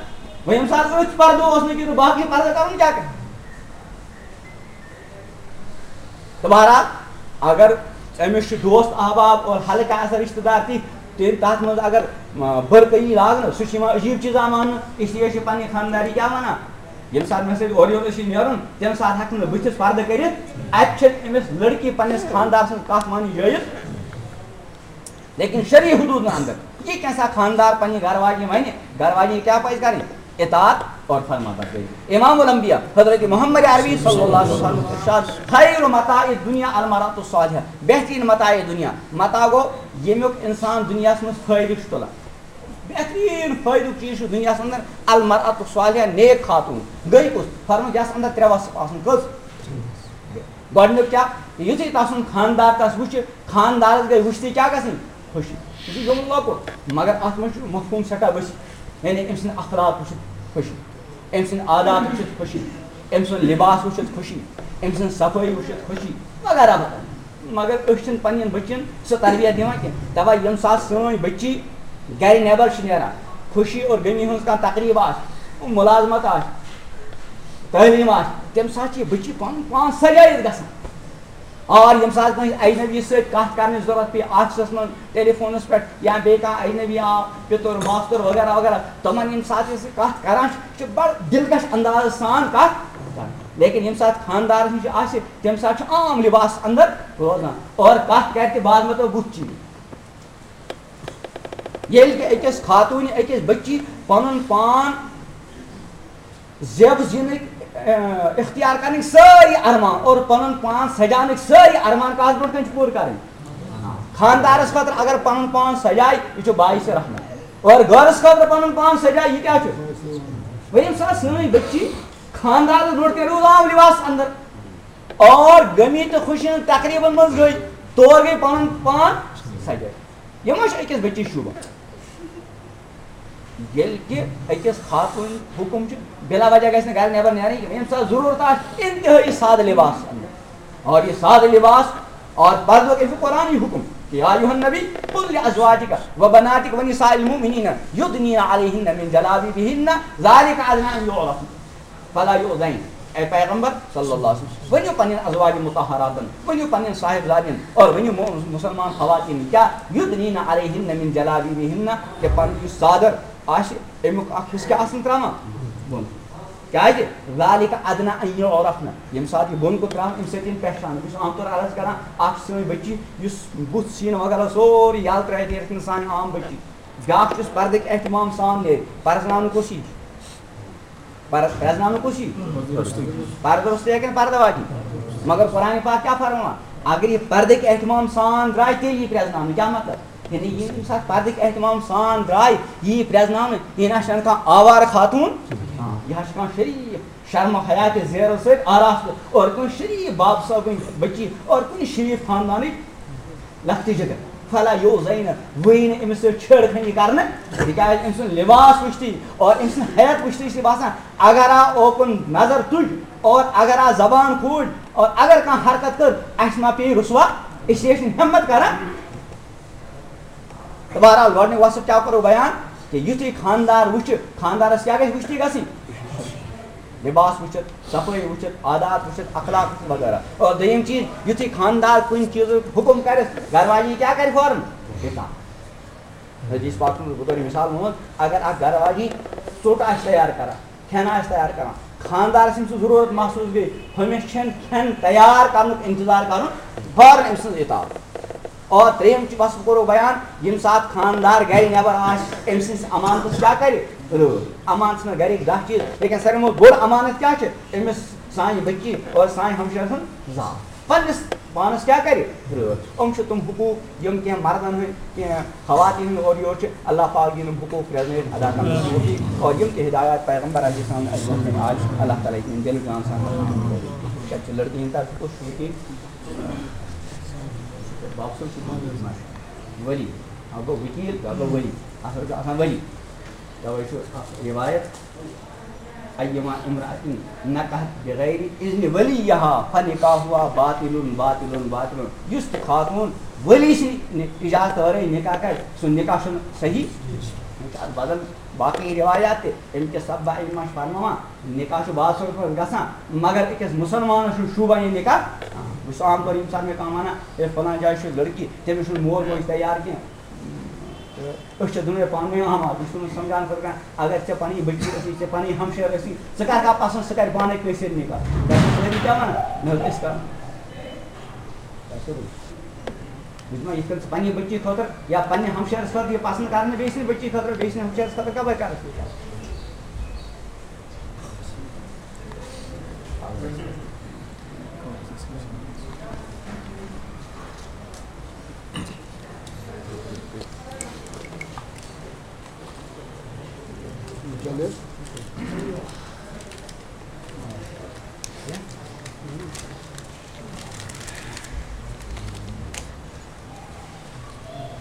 وۄنۍ ییٚمہِ ساتہٕ أتھۍ پردٕ اوس نہٕ کینٛہہ تہٕ باقٕے پردٕ کرُن کیٛاہ کرِ؟ تہٕ بہرحال، اگر أمِس چھِ دوست احباب اور حلقہٕ آسان رشتہٕ دار تِتھۍ، تیٚلہِ تَتھ منٛز اگر، آ، برقعی لاگنہٕ، سُہ چھُ یِوان عجیٖب چیٖزا ماننہٕ۔ اس لیے چھِ پنٕنۍ خانٛداری کیٛاہ وَنان؟ ییٚمہِ ساتہٕ مےٚ سۭتۍ اورٕ یورٕ چھِ نیرُن، تَمہِ ساتہٕ ہٮ۪کہٕ نہٕ بٕتھِس پردٕ کٔرِتھ۔ اَتہِ چھِ أمِس لڑکی پنٛنِس خانٛدار سٕنٛز کَتھ مانٕنۍ جٲیِز۔ لیکن شرعی حدوٗدن اندر یہِ کینٛژھا خانٛدار پننہِ گرٕ واجنہِ ونہِ، گرٕ واجنہِ کیٛاہ پزِ کرٕنۍ؟ اطاعت اور فرما بردٲری۔ امام الانبیاء حضرت محمد عربی صلی اللہ علیہ وسلم ارشاد، خیر متاع الدنیا المرأة الصالحہ، بہترین متاع دنیا، متاع گوٚو ییٚمیُک انسان دنیاہس منٛز فٲیدٕ چھُ تُلان۔ بہترین فٲیدُک چیٖز چھُ دنیاہس اندر المرأة الصالحہ، نیک خاتون۔ گٔے کُس؟ فرموو یس اندر ترٛےٚ وصف آسن۔ کٔژ؟ گۄڈٕنیُک کیٛاہ؟ یُتھُے تَسُنٛد خانٛدار تَس وٕچھِ، خانٛدارَس گٔے وٕچھتٕے کیٛاہ گژھٕنۍ؟ خوشی۔ یہِ چھُ یِمَن لۄکُٹ، مگر اَتھ منٛز چھُ مفہوٗم سٮ۪ٹھاہ ؤسیع۔ یعنی أمۍ سٕنٛدۍ اخلاق وٕچھِتھ خوشی، أمۍ سٕنٛدۍ عادات وٕچھِتھ خوشی، أمۍ سُنٛد لباس وٕچھِتھ خوشی، أمۍ سٕنٛز صفٲیی وٕچھِتھ خوشی وغیرہ وغیرہ۔ مگر أسۍ چھِنہٕ پنٛنٮ۪ن بٔچِیَن سۄ تربیت دِوان کینٛہہ۔ دَپان ییٚمہِ ساتہٕ سٲنۍ بٔچی گَرِ نٮ۪بر چھِ نیران، خوشی اور غمی ہٕنٛز کانٛہہ تقریٖب آسہِ، مُلازمت آسہِ، تعلیٖم آسہِ، تَمہِ ساتہٕ چھِ یہِ بٔچی پَنُن پان سجٲیِتھ گژھان۔ اور ییٚمہِ ساتہٕ کٲنٛسہِ اجنبی سۭتۍ کَتھ کَرنٕچ ضروٗرت پیٚیہِ آفسَس منٛز، ٹیلی فونَس پٮ۪ٹھ، یا بیٚیہِ کانٛہہ اجنبی آو، پِتُر، ماستُر وغیرہ وغیرہ، تِمَن ییٚمہِ ساتہٕ أسۍ کَتھ کَران چھِ، چھِ بَڑٕ دِلکش اندازٕ سان کَتھ کَران۔ لیکن ییٚمہِ ساتہٕ خانٛدارَس نِش آسہِ، تَمہِ ساتہٕ چھُ عام لباس اندر روزان اور کَتھ کَرِ تہِ بعض مطلب بُتھ چیٖز۔ ییٚلہِ کہِ أکِس خاتوٗنہِ، أکِس بٔچی پَنُن پان زیب زینٕکۍ، اَ، اختیار کرنٕکۍ سٲری ارمان اور پنُن پان سجاونٕکۍ سٲری ارمان کتھ برونٛٹھ کنہِ چھِ پوٗرٕ کرٕنۍ؟ خاندارس خٲطرٕ اگر پنُن پان سجایہِ، یہِ چھُ باعث رحمت۔ اور گرس خٲطرٕ پنُن پان سجایہِ، یہِ کیٛاہ چھُ؟ وۄنۍ ییٚمہِ ساتہٕ سٲنۍ بٔچی خاندارس برونٛٹھ کنہِ روٗز عام لباس اندر اور غمی تہٕ خوشی ہٕنٛز تقریٖبن منٛز گٔے، تور گٔے پنُن پان سجٲوِتھ۔ یہِ ما چھُ أکِس بٔچی شوٗبان؟ ییٚلہِ کہِ أکِس خاتوٗن حُکُم چھُ، بِلا وجہ گژھِ نہٕ گرِ نٮ۪بر نیرٕنۍ کینٛہہ۔ ییٚمہِ ساتہٕ ضروٗرت آسہِ، انتہٲیی سادٕ لباس اندر۔ اور یہِ سادٕ لباس اور پردُک، أمۍ چھُ قرآنٕے حُکُم کہ یا ایھا النبی قل لازواجک و بناتک و نساء المؤمنین یدنین علیہن من جلابیبہن ذالک ادنی ان یعرفن فلا یؤذین۔ اے پیغمبر صلی اللہ علیہ وسلم، ؤنِو پننٮ۪ن ازواج مطہراتن، ؤنِو پننٮ۪ن صاحبزادٮ۪ن، اور ؤنِو مو-، مسلمان خواتین، کیا یدنین علیہن من جلابیبہن، کہ پنُن یُس ژادر آسہِ، اَمیُک اکھ حصہٕ کیٛاہ آسن تراوان؟ بۄن۔ کیازِ؟ ذالک ادنی ان یعرفن، ییٚمہِ ساتہٕ یہِ بۄن کُن تراوان، اَمہِ سۭتۍ یِن پہچان۔ بہٕ چھُس عام طور عرض کران، اکھ چھِ سٲنۍ بٔچی، یُس بُتھ سیٖنہٕ وغیرہ سورُے یَلہٕ ترٲوِتھ نیرِتھ نہٕ سانہِ عام بٔچی، بیاکھ چھُس پردٕکۍ اہتمام سان نیرِ، پرزناونہٕ کُس یی؟ پر-، پرزناونہٕ کُس یی؟ پردٕ روٚستُے ہا کِنہٕ پردٕ واجی؟ مگر قرآن پاک کیٛاہ فرماوان؟ اگر یہِ پردٕکۍ اہتمام سان درٛاے، تیٚلہِ یی پرزناونہٕ۔ کیٛاہ مطلب؟ یعنی یہِ ییٚمہِ ساتہٕ پردٕکۍ اہتمام سان درٛاے، یی پرزناونہٕ۔ یہِ نہ چھَنہٕ کانٛہہ آوارٕ خاتوٗن، یہِ حظ چھِ کانٛہہ شریٖف، شرم حیات زیرو سۭتۍ آراستہٕ، اور کُنہِ شریٖف باب صٲبٕنۍ بٔچی، اور کُنہِ شریٖف خاندانٕچ لۄکٹہِ جگر۔ فلا یوزین، وٕے نہٕ أمِس سۭتۍ چھیڑ خٲنی کرنہٕ، تِکیازِ أمۍ سُنٛد لباس وٕچھتٕے اور أمۍ سٕنٛز حیت وٕچھتٕے چھِ باسان، اگر آ اوکُن نظر تُج اور اگر آ زبان کھوٗل اور اگر کانٛہہ حرکت کٔر، اَسہِ ما پیٚیہِ رسوا، أسۍ ٲسۍ نہٕ ہمت کران۔ تہٕ بہرحال، گۄڈٕنیُک وصف کیٛاہ کوٚرُو بیان؟ کہِ یُتھُے خانٛدار وٕچھِ، خانٛدارَس کیٛاہ گژھِ وٕچھتٕے گژھٕنۍ؟ لباس وٕچھِتھ، صفٲیی وٕچھِتھ، عادات وٕچھِتھ، اخلاق وٕچھِتھ وغیرہ۔ اور دوٚیِم چیٖز، یُتھُے خانٛدار کُنہِ چیٖزُک حُکُم کَرٮ۪س، گَرٕ واجی کیٛاہ کَرِ فوراً؟ اطاعت۔ حدیث پاک منٛز بہٕ کَرٕ مِثال ووٚنمُت، اگر اَکھ گَرٕ واجی ژوٚٹ آسہِ تیار کَران، کھٮ۪ن آسہِ تیار کَران، خانٛدارَس ییٚمہِ سٕنٛز ضروٗرت محسوٗس گٔے، ہُمِس چھَنہٕ کھٮ۪ن تیار کَرنُک اِنتظار کَرُن، فوراً أمۍ سٕنٛز اطاعت۔ اور ترٛیٚیِم چیٖز وَسہٕ بہٕ کوٚرُو بیان، ییٚمہِ ساتہٕ خانٛدار گَرِ نٮ۪بر آسہِ، أمۍ سٕنٛدِس اَمانتَس کیٛاہ کَرِ؟ رٲچھ۔ اَمانتَس منٛز گَرِکۍ دَہ چیٖز، لیکن ساروی منٛز بوٚڑ اَمانت کیٛاہ چھِ؟ أمِس سانہِ بٔچی اور سانہِ ہمشیرٕ سٕنٛز ذات۔ پنٛنِس پانَس کیٛاہ کَرِ؟ رٲچھ۔ یِم چھِ تِم حقوٗق، یِم کینٛہہ مردَن ہٕنٛدۍ، کینٛہہ خواتین ہٕنٛدۍ اورٕ یورٕ چھِ، اللہ پاک دِیِن یِم حقوٗق پرٛزنٲوِتھ ادا کرنٕچ توفیٖق۔ اور یِم تہِ ہدایات پیغمبر علیہ السلام اَسہِ برونٛہہ کَنہِ آسہِ، اللہ تعالیٰ ہیٚکہِ یِم دِلہٕ جان سان۔ شاید چھِ لٔڑکہٕ ہِنٛدۍ طرفہٕ کُس چھُ ییٚتہِ؟ بابہٕ صٲب چھُ ولی، اَکھ گوٚو وکیٖل، بیٛاکھ گوٚو ولی۔ اَصٕل چھُ آسان ولی۔ تَوَے چھُ اَکھ رِوایت، ایما امرأة نکحت بغیر اذن ولیہا فنکاحها باطل، باطل، باطل۔ یُس تہِ خاتوٗن ولی سٕنٛدِ اجازتہٕ ورٲے نکاح کرِ، سُہ نکاح چھُنہٕ صحیح۔ وۄنۍ چھِ اَتھ بدل باقٕے رِوایات تہِ، أمۍ کِس سببہ أمۍ ما چھِ فرماوان، نکاح چھُ باطل پٲٹھۍ گژھان، مگر أکِس مُسلمانَس چھُنہٕ شوٗبان یہِ نکاح۔ بہٕ چھُس عام طور ییٚمہِ ساتہٕ مےٚ کانٛہہ وَنان، ہے فلان جایہِ چھُ لڑکی، تٔمِس چھُنہٕ مول موج تیار کینٛہہ۔ تہٕ أسۍ چھِ دۄنوَے پانہٕ ؤنۍ آماد۔ بہٕ چھُس تِمَن سَمجھاونہٕ خٲطرٕ کَران، اگر ژےٚ پَنٕنۍ بٔچی ٲسی، ژےٚ پَنٕنۍ ہمشیر ٲسی، ژٕ کَر کَتھ پَسنٛد، سُہ کَرِ پانَے کٲنٛسہِ سۭتۍ نِکاح۔ تۄہہِ چھِو سٲری کیٛاہ وَنان؟ نہ حظ، أسۍ کَرو۔ تۄہہِ کٔرِو۔ بہٕ دِمہٕ یِتھ کٔنۍ ژٕ پَنٕنہِ بٔچی خٲطرٕ یا پَنٕنہِ ہمشیرَس خٲطرٕ یہِ پَسنٛد کَرنہٕ، بیٚیہِ سٕنٛدِ بٔچی خٲطرٕ، بیٚیہِ سٕنٛدِ ہمشیرَس خٲطرٕ کَپٲرۍ کَرَکھ ژٕ یہِ کَتھ؟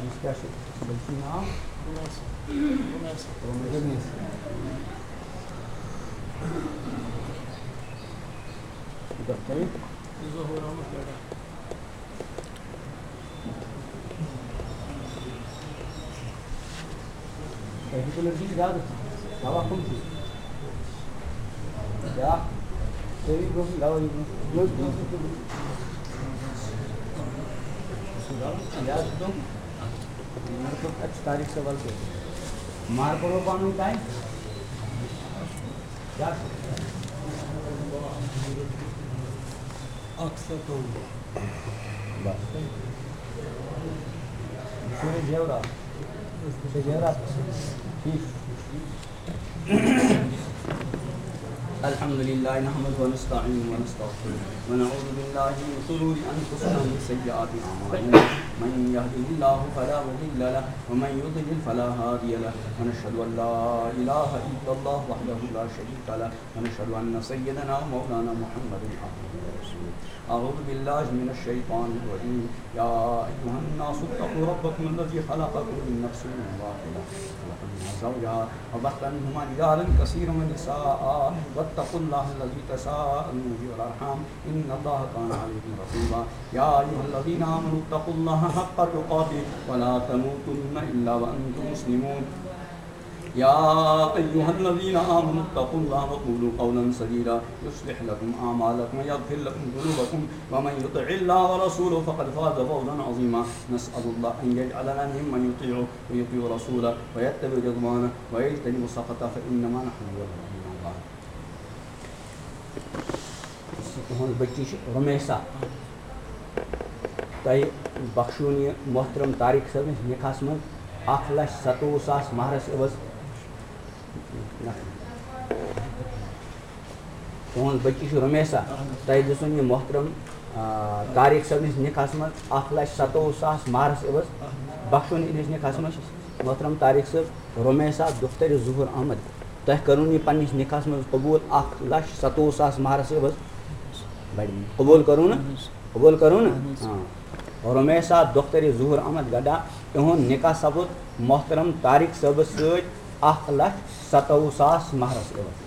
أمِس کیٛاہ چھُ بٔلکہِ ناو؟ رُمیسہ۔ رُمیسہ۔ یہِ کَتھ کَرِ؟ ظہوٗر احمد گڑھا۔ تۄہہِ چھُو لٔڑکی زیادٕ دوا کٕم چھِو؟ بیٛاکھ سٲری برٛونٛہہ کُن دوا یہِ برٛونٛہہ کُن۔ یاد چھُ تِم؟ مارکو اَتہِ چھُ طارق صٲب اَلہٕ سۭتۍ۔ مارکو روٚو پانہٕ ؤنۍ تانۍ؟ کیٛاہ چھُ؟ اَکھ ستووُہ۔ بس۔ یہِ چھُ وۄنۍ زیورات۔ یہِ چھُ زیورات۔ ٹھیٖک۔ الحمد لله نحمده ونستعينه ونستغفره ونعوذ بالله من شرور أنفسنا ومن سيئات أعمالنا. من يهده الله فلا مضل له ومن يضلل فلا هادي له. ونشهد أن لا إله إلا الله وحده لا شريك له. ونشهد أن سيدنا ومولانا محمدا عبده ورسوله. أعوذ بالله من الشيطان الرجيم. يا أيها الناس اتقوا ربكم الذي خلقكم من نفس واحدة وخلق منها زوجها وبث منهما رجالا كثيرا ونساء واتقوا الله الذي تساءلون به والأرحام إن الله كان عليكم رقيبا. يا أيها الذين آمنوا اتقوا الله حق تقاته ولا تموتن إلا وأنتم مسلمون. يا أيها الذين آمنوا اتقوا الله وقولوا قولا سديدا يصلح لكم أعمالكم ويغفر لكم ذنوبكم ومن يطع الله ورسوله فقد فاز فوزا عظيما. نسأل الله أن يجعلنا ممن يطيعه ويطيع رسوله ويتبع رضوانه ويجتنب سخطه فإنما نحن من المؤمنين. تُہٕنٛز بٔچی چھِ رُمیسا۔ تۄہہِ بخشوُن یہِ محترم طارق صٲبنِس نِکاحس منٛز اکھ لچھ ستووُہ ساس مہرس عوض۔ تُہٕنٛز بٔچی چھِ رُمیسا۔ تۄہہِ دِژوُن یہِ محترم، آ، طارق صٲبنِس نِکاحس منٛز اکھ لچھ ستووُہ ساس مہرس عوض۔ بخشوُن یِہنٛدِس نِکاحس منٛز محترم طارق صٲب رُمیسا دختر ظہور احمد۔ تۄہہِ کٔرٕن یہِ پننِس نِکاحس منٛز قبوٗل اکھ لچھ ستووُہ ساس مہرس عوض۔ بڑِ قبوٗل کٔرٕن نہٕ؟ قبوٗل کٔرٕن نہٕ؟ آ۔ رُمیسا دختر ظہور احمد گڈا، تِہُنٛد نِکاح سپُد محترم طارق صٲبس سۭتۍ اکھ لچھ ستووُہ ساس مہرس عوض۔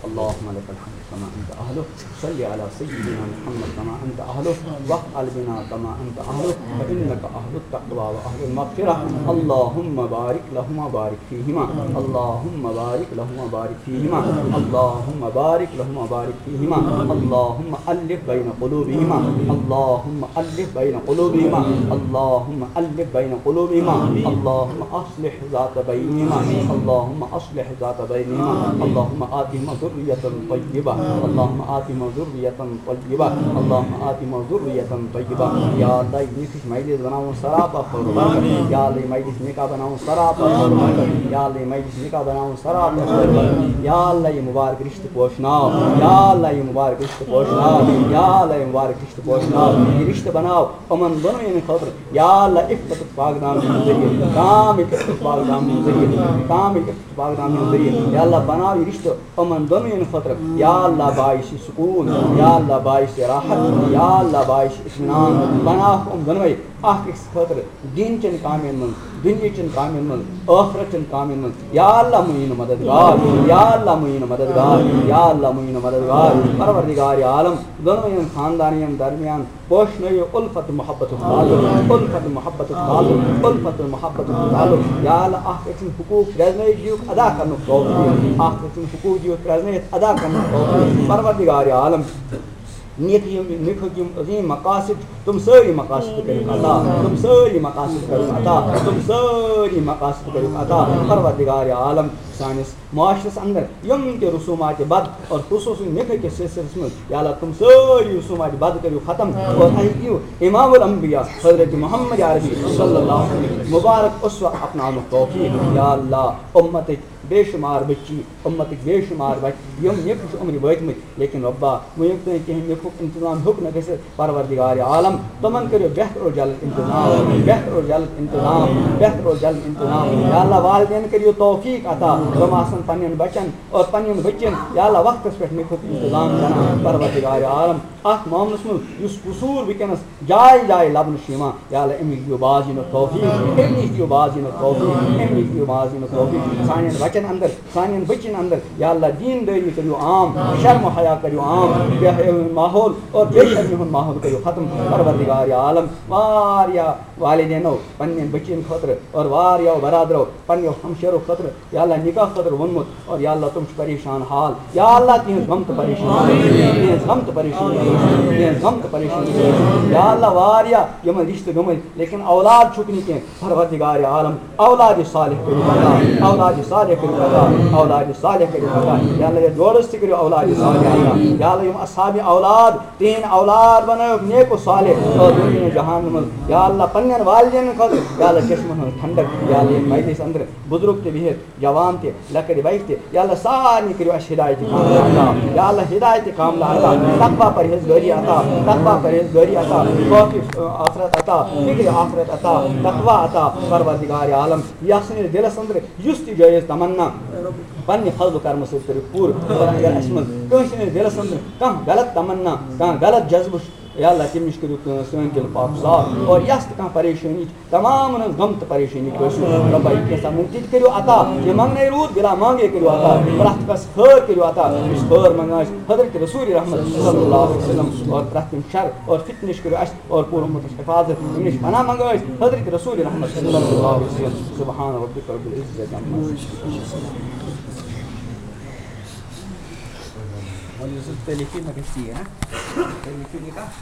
اللهم لك الحمد كما أنت أهله، صل على سيدنا محمد كما أنت أهله، وافعل بنا كما أنت أهله، فإنك أهل التقوى وأهل المغفرة. اللهم بارك لهما، بارك فيهما. اللهم بارك لهما، بارك فيهما. اللهم بارك لهما، بارك فيهما. اللهم ألف بين قلوبهما. اللهم ألف بين قلوبهما. اللهم ألف بين قلوبهما. اللهم أصلح ذات بينهما. اللهم أصلح ذات بينهما. اللهم آتهما ذرية طيبة. اللهم آتهما ذرية طيبة. اللهم آتهما ذرية طيبة. یا اللہ، یہِ نِکاح مجلس بناوُن سراپا خٲر و برکت۔ یا اللہ، یہِ مجلس نکاح بناوُن سراپا خٲر و برکت۔ یا اللہ، یہِ مجلس نکاح بناوُن سراپا خٲر و برکت۔ یا اللہ، یہِ مبارک رشتہٕ پوشناو۔ یا اللہ، یہِ مبارک رشتہٕ پوشناو۔ یا اللہ، یہِ مبارک رشتہٕ پوشناو۔ یہِ رشتہٕ بناو یِمن دۄنوٕنین خٲطرٕ۔ یا اللہ، عفتُک پاک دامنہِ ذٔریعہٕ، کامِل عفتُک پاک دامنہِ ذٔریعہٕ، کامِل عفتُک پاک دامنہِ ذٔریعہٕ۔ یا اللہ، بناو یہِ رشتہٕ یِمن دۄنوٕنین خٲطرٕ۔ یا اللہ، باعث سکوٗن، یا اللہ، باعث راحت، یا اللہ، باعث اطمینان۔ بناوکھ یِم دۄنوَے اکھ أکِس خٲطرٕ دیٖن چٮ۪ن کامٮ۪ن منٛز، دُنیا چٮ۪ن کامٮ۪ن منٛز، ٲخرت چٮ۪ن کامٮ۪ن منٛز۔ یا اللہ، معیٖن مددگار، یا اللہ، معیٖن مددگار، یا اللہ، معیٖن مددگار۔ پروردگار عالم، دۄنوٕنین خاندانین درمیان پوشنٲیِو الفت محبت تعلق، الفت محبت تعلق، الفت محبت تعلق۔ یا اللہ، اکھ أکۍ سٕنٛدۍ حقوٗق پرٛزنٲیِتھ دِیِو ادا کرنُک توفیٖق، اکھ أکۍ سٕنٛدۍ حقوٗق دِیِو پرٛزنٲیِتھ ادا کرنُک توفیٖق۔ پروردگار عالم، نِکھ یِم، نِکھٕکۍ یِم عظیٖم مقاصد، تِم سٲری مقاصد کٔرِو عطا، تِم سٲری مقاصد کٔرِو عطا، تِم سٲری مقاصد کٔرِو عطا۔ پروردگار عالم، سٲنِس معاشرس اندر یِم تہِ رسومات بد اور خصوصی نکاح کس سلسلس منٛز، یا اللہ، تِم سٲری رسومات بد کٔرِو ختم اور اَسہِ دِیِو امام الانبیاء حضرت محمد عربی صلی اللہ علیہ وسلم مبارک اسوہ اپناونُک توفیق۔ یا اللہ، امتٕکۍ بے شمار بچی، امتٕکۍ بے شمار بچہِ، یِم نکاح چھِ عمرِ وٲتمٕتۍ، لیکن رۄبا، وۄنۍ ییٚمہِ تام کینٛہہ نکاحُک انتظام ہیوٚک نہٕ گٔژھِتھ، پروردگار عالم، تِمن کٔرِو بہتر و جلد انتظام، بہتر و جلد انتظام، بہتر و جلد انتظام۔ یا اللہ، والدین کٔرِو توفیق عطا، تِم آسن پننٮ۪ن بچن اور پننٮ۪ن بچن، یا اللہ، وقتس پٮ۪ٹھ نکاحُک انتظام کران۔ پروردگار عالم، اتھ معاملس منٛز یُس قصوٗر وٕنکیٚنس جایہِ جایہِ لبنہٕ چھُ یِوان، یا اللہ، اَمہِ نِش دِیِو باز یِنُک توفیٖق، اَمہِ نِش دِیِو باز یِنُک توفیٖق، اَمہِ نِش دِیِو باز یِنُک توفیٖق۔ سانٮ۪ن بچن اندر، سانٮ۪ن بچن اندر، یا اللہ، دیٖن دٲری کٔرِو عام، شرم و حیا کٔرِو عام، بے حیٲیی ہُنٛد ماحول اور بے شرمی ہُنٛد ماحول کٔرِو ختم۔ پروردگار عالم، واریاہ والدینو پننٮ۪ن بچن خٲطرٕ اور واریاہو برادرو پننیو ہمشیرو خٲطرٕ، یا اللہ، نکاح خٲطرٕ ووٚنمُت، اور یا اللہ، تِم چھِ پریشان حال۔ یا اللہ، تِہنٛز غم تہٕ پریشٲنی، تِہنٛز غم تہٕ پریشٲنی، تِہنٛز غم تہٕ پریشٲنی۔ یا اللہ، واریاہ یِمن رشتہٕ گٔمٕتۍ، لیکن اولاد چھُکھ نہٕ کینٛہہ۔ پروردگار عالم، اولاد صالح کٔرِو عطا، اولاد صالح کٔرِو عطا، اولاد صالح کٔرِو عطا۔ یا اللہ، یتھ جوڑس تہِ کٔرِو اولاد صالح عطا۔ یا اللہ، یِم اصحاب اولاد، تِہنٛدۍ اولاد بنٲوِکھ نیک و صالح اور دُنیا جہان منٛز۔ یا اللہ، پننٮ۪ن والدینن خٲطرٕ، یا اللہ، چشمن ہٕنٛز ٹھنڈک۔ یا اللہ، یتھ مجلس اندر بزرگ تہِ بِہِتھ، جوان تہِ، لۄکٕٹۍ بچہِ تہِ، یا اللہ، سارنٕے کٔرِو اَسہِ ہدایت کاملہ عطا۔ یا اللہ، ہدایت کاملہ عطا، تقوی پرہیزگٲری عطا، تقوی پرہیزگٲری عطا، خوف آخرت عطا، فکر آخرت عطا، تقوی عطا۔ پروردگار عالم، یۄس سٲنِس دِلس اندر یُس تہِ جٲیز تمنا پننہِ فضل و کرمہٕ سۭتۍ کٔرِو پوٗرٕ۔ اور اگر اَسہِ منٛز کٲنٛسہِ ہٕنٛدِس دِلس اندر کانٛہہ غلط تمنا، کانٛہہ غلط جذبہٕ چھُ، یا اللہ، تٔمِس کٔرِو کٲنٛسہِ سٲنۍ دِل پاک صاف، اور یۄس تہِ کانٛہہ پریشٲنی چھِ، تمامن ہٕنٛز غم تہٕ پریشٲنی کٔرِو رۄبا، یہِ کینٛژھا مُمکن کٔرِو عطا، یہِ منٛگنَے روٗد بِلا مانٛگے کٔرِو عطا، پرٛٮ۪تھ کٲنٛسہِ خٲر کٔرِو عطا، یُس خٲر منٛگان چھِ حضرت رسول رحمت صلی اللہ علیہ وسلم، اور پرٛٮ۪تھ کُنہِ شر اور فتنہٕ نِش کٔرِو اَسہِ اور پوٗرٕ اُمتَس حفاظت، أمِس پناہ منٛگو أسۍ حضرت رسول رحمت صلی اللہ علیہ وسلم۔ سبحان ربک رب العزت عما یصفون۔ وۄنۍ یُس تُہۍ لیکھِو، مےٚ گژھِ ژیٖرۍ، ہا؟ تُہۍ لیکھِو یہِ کَتھ؟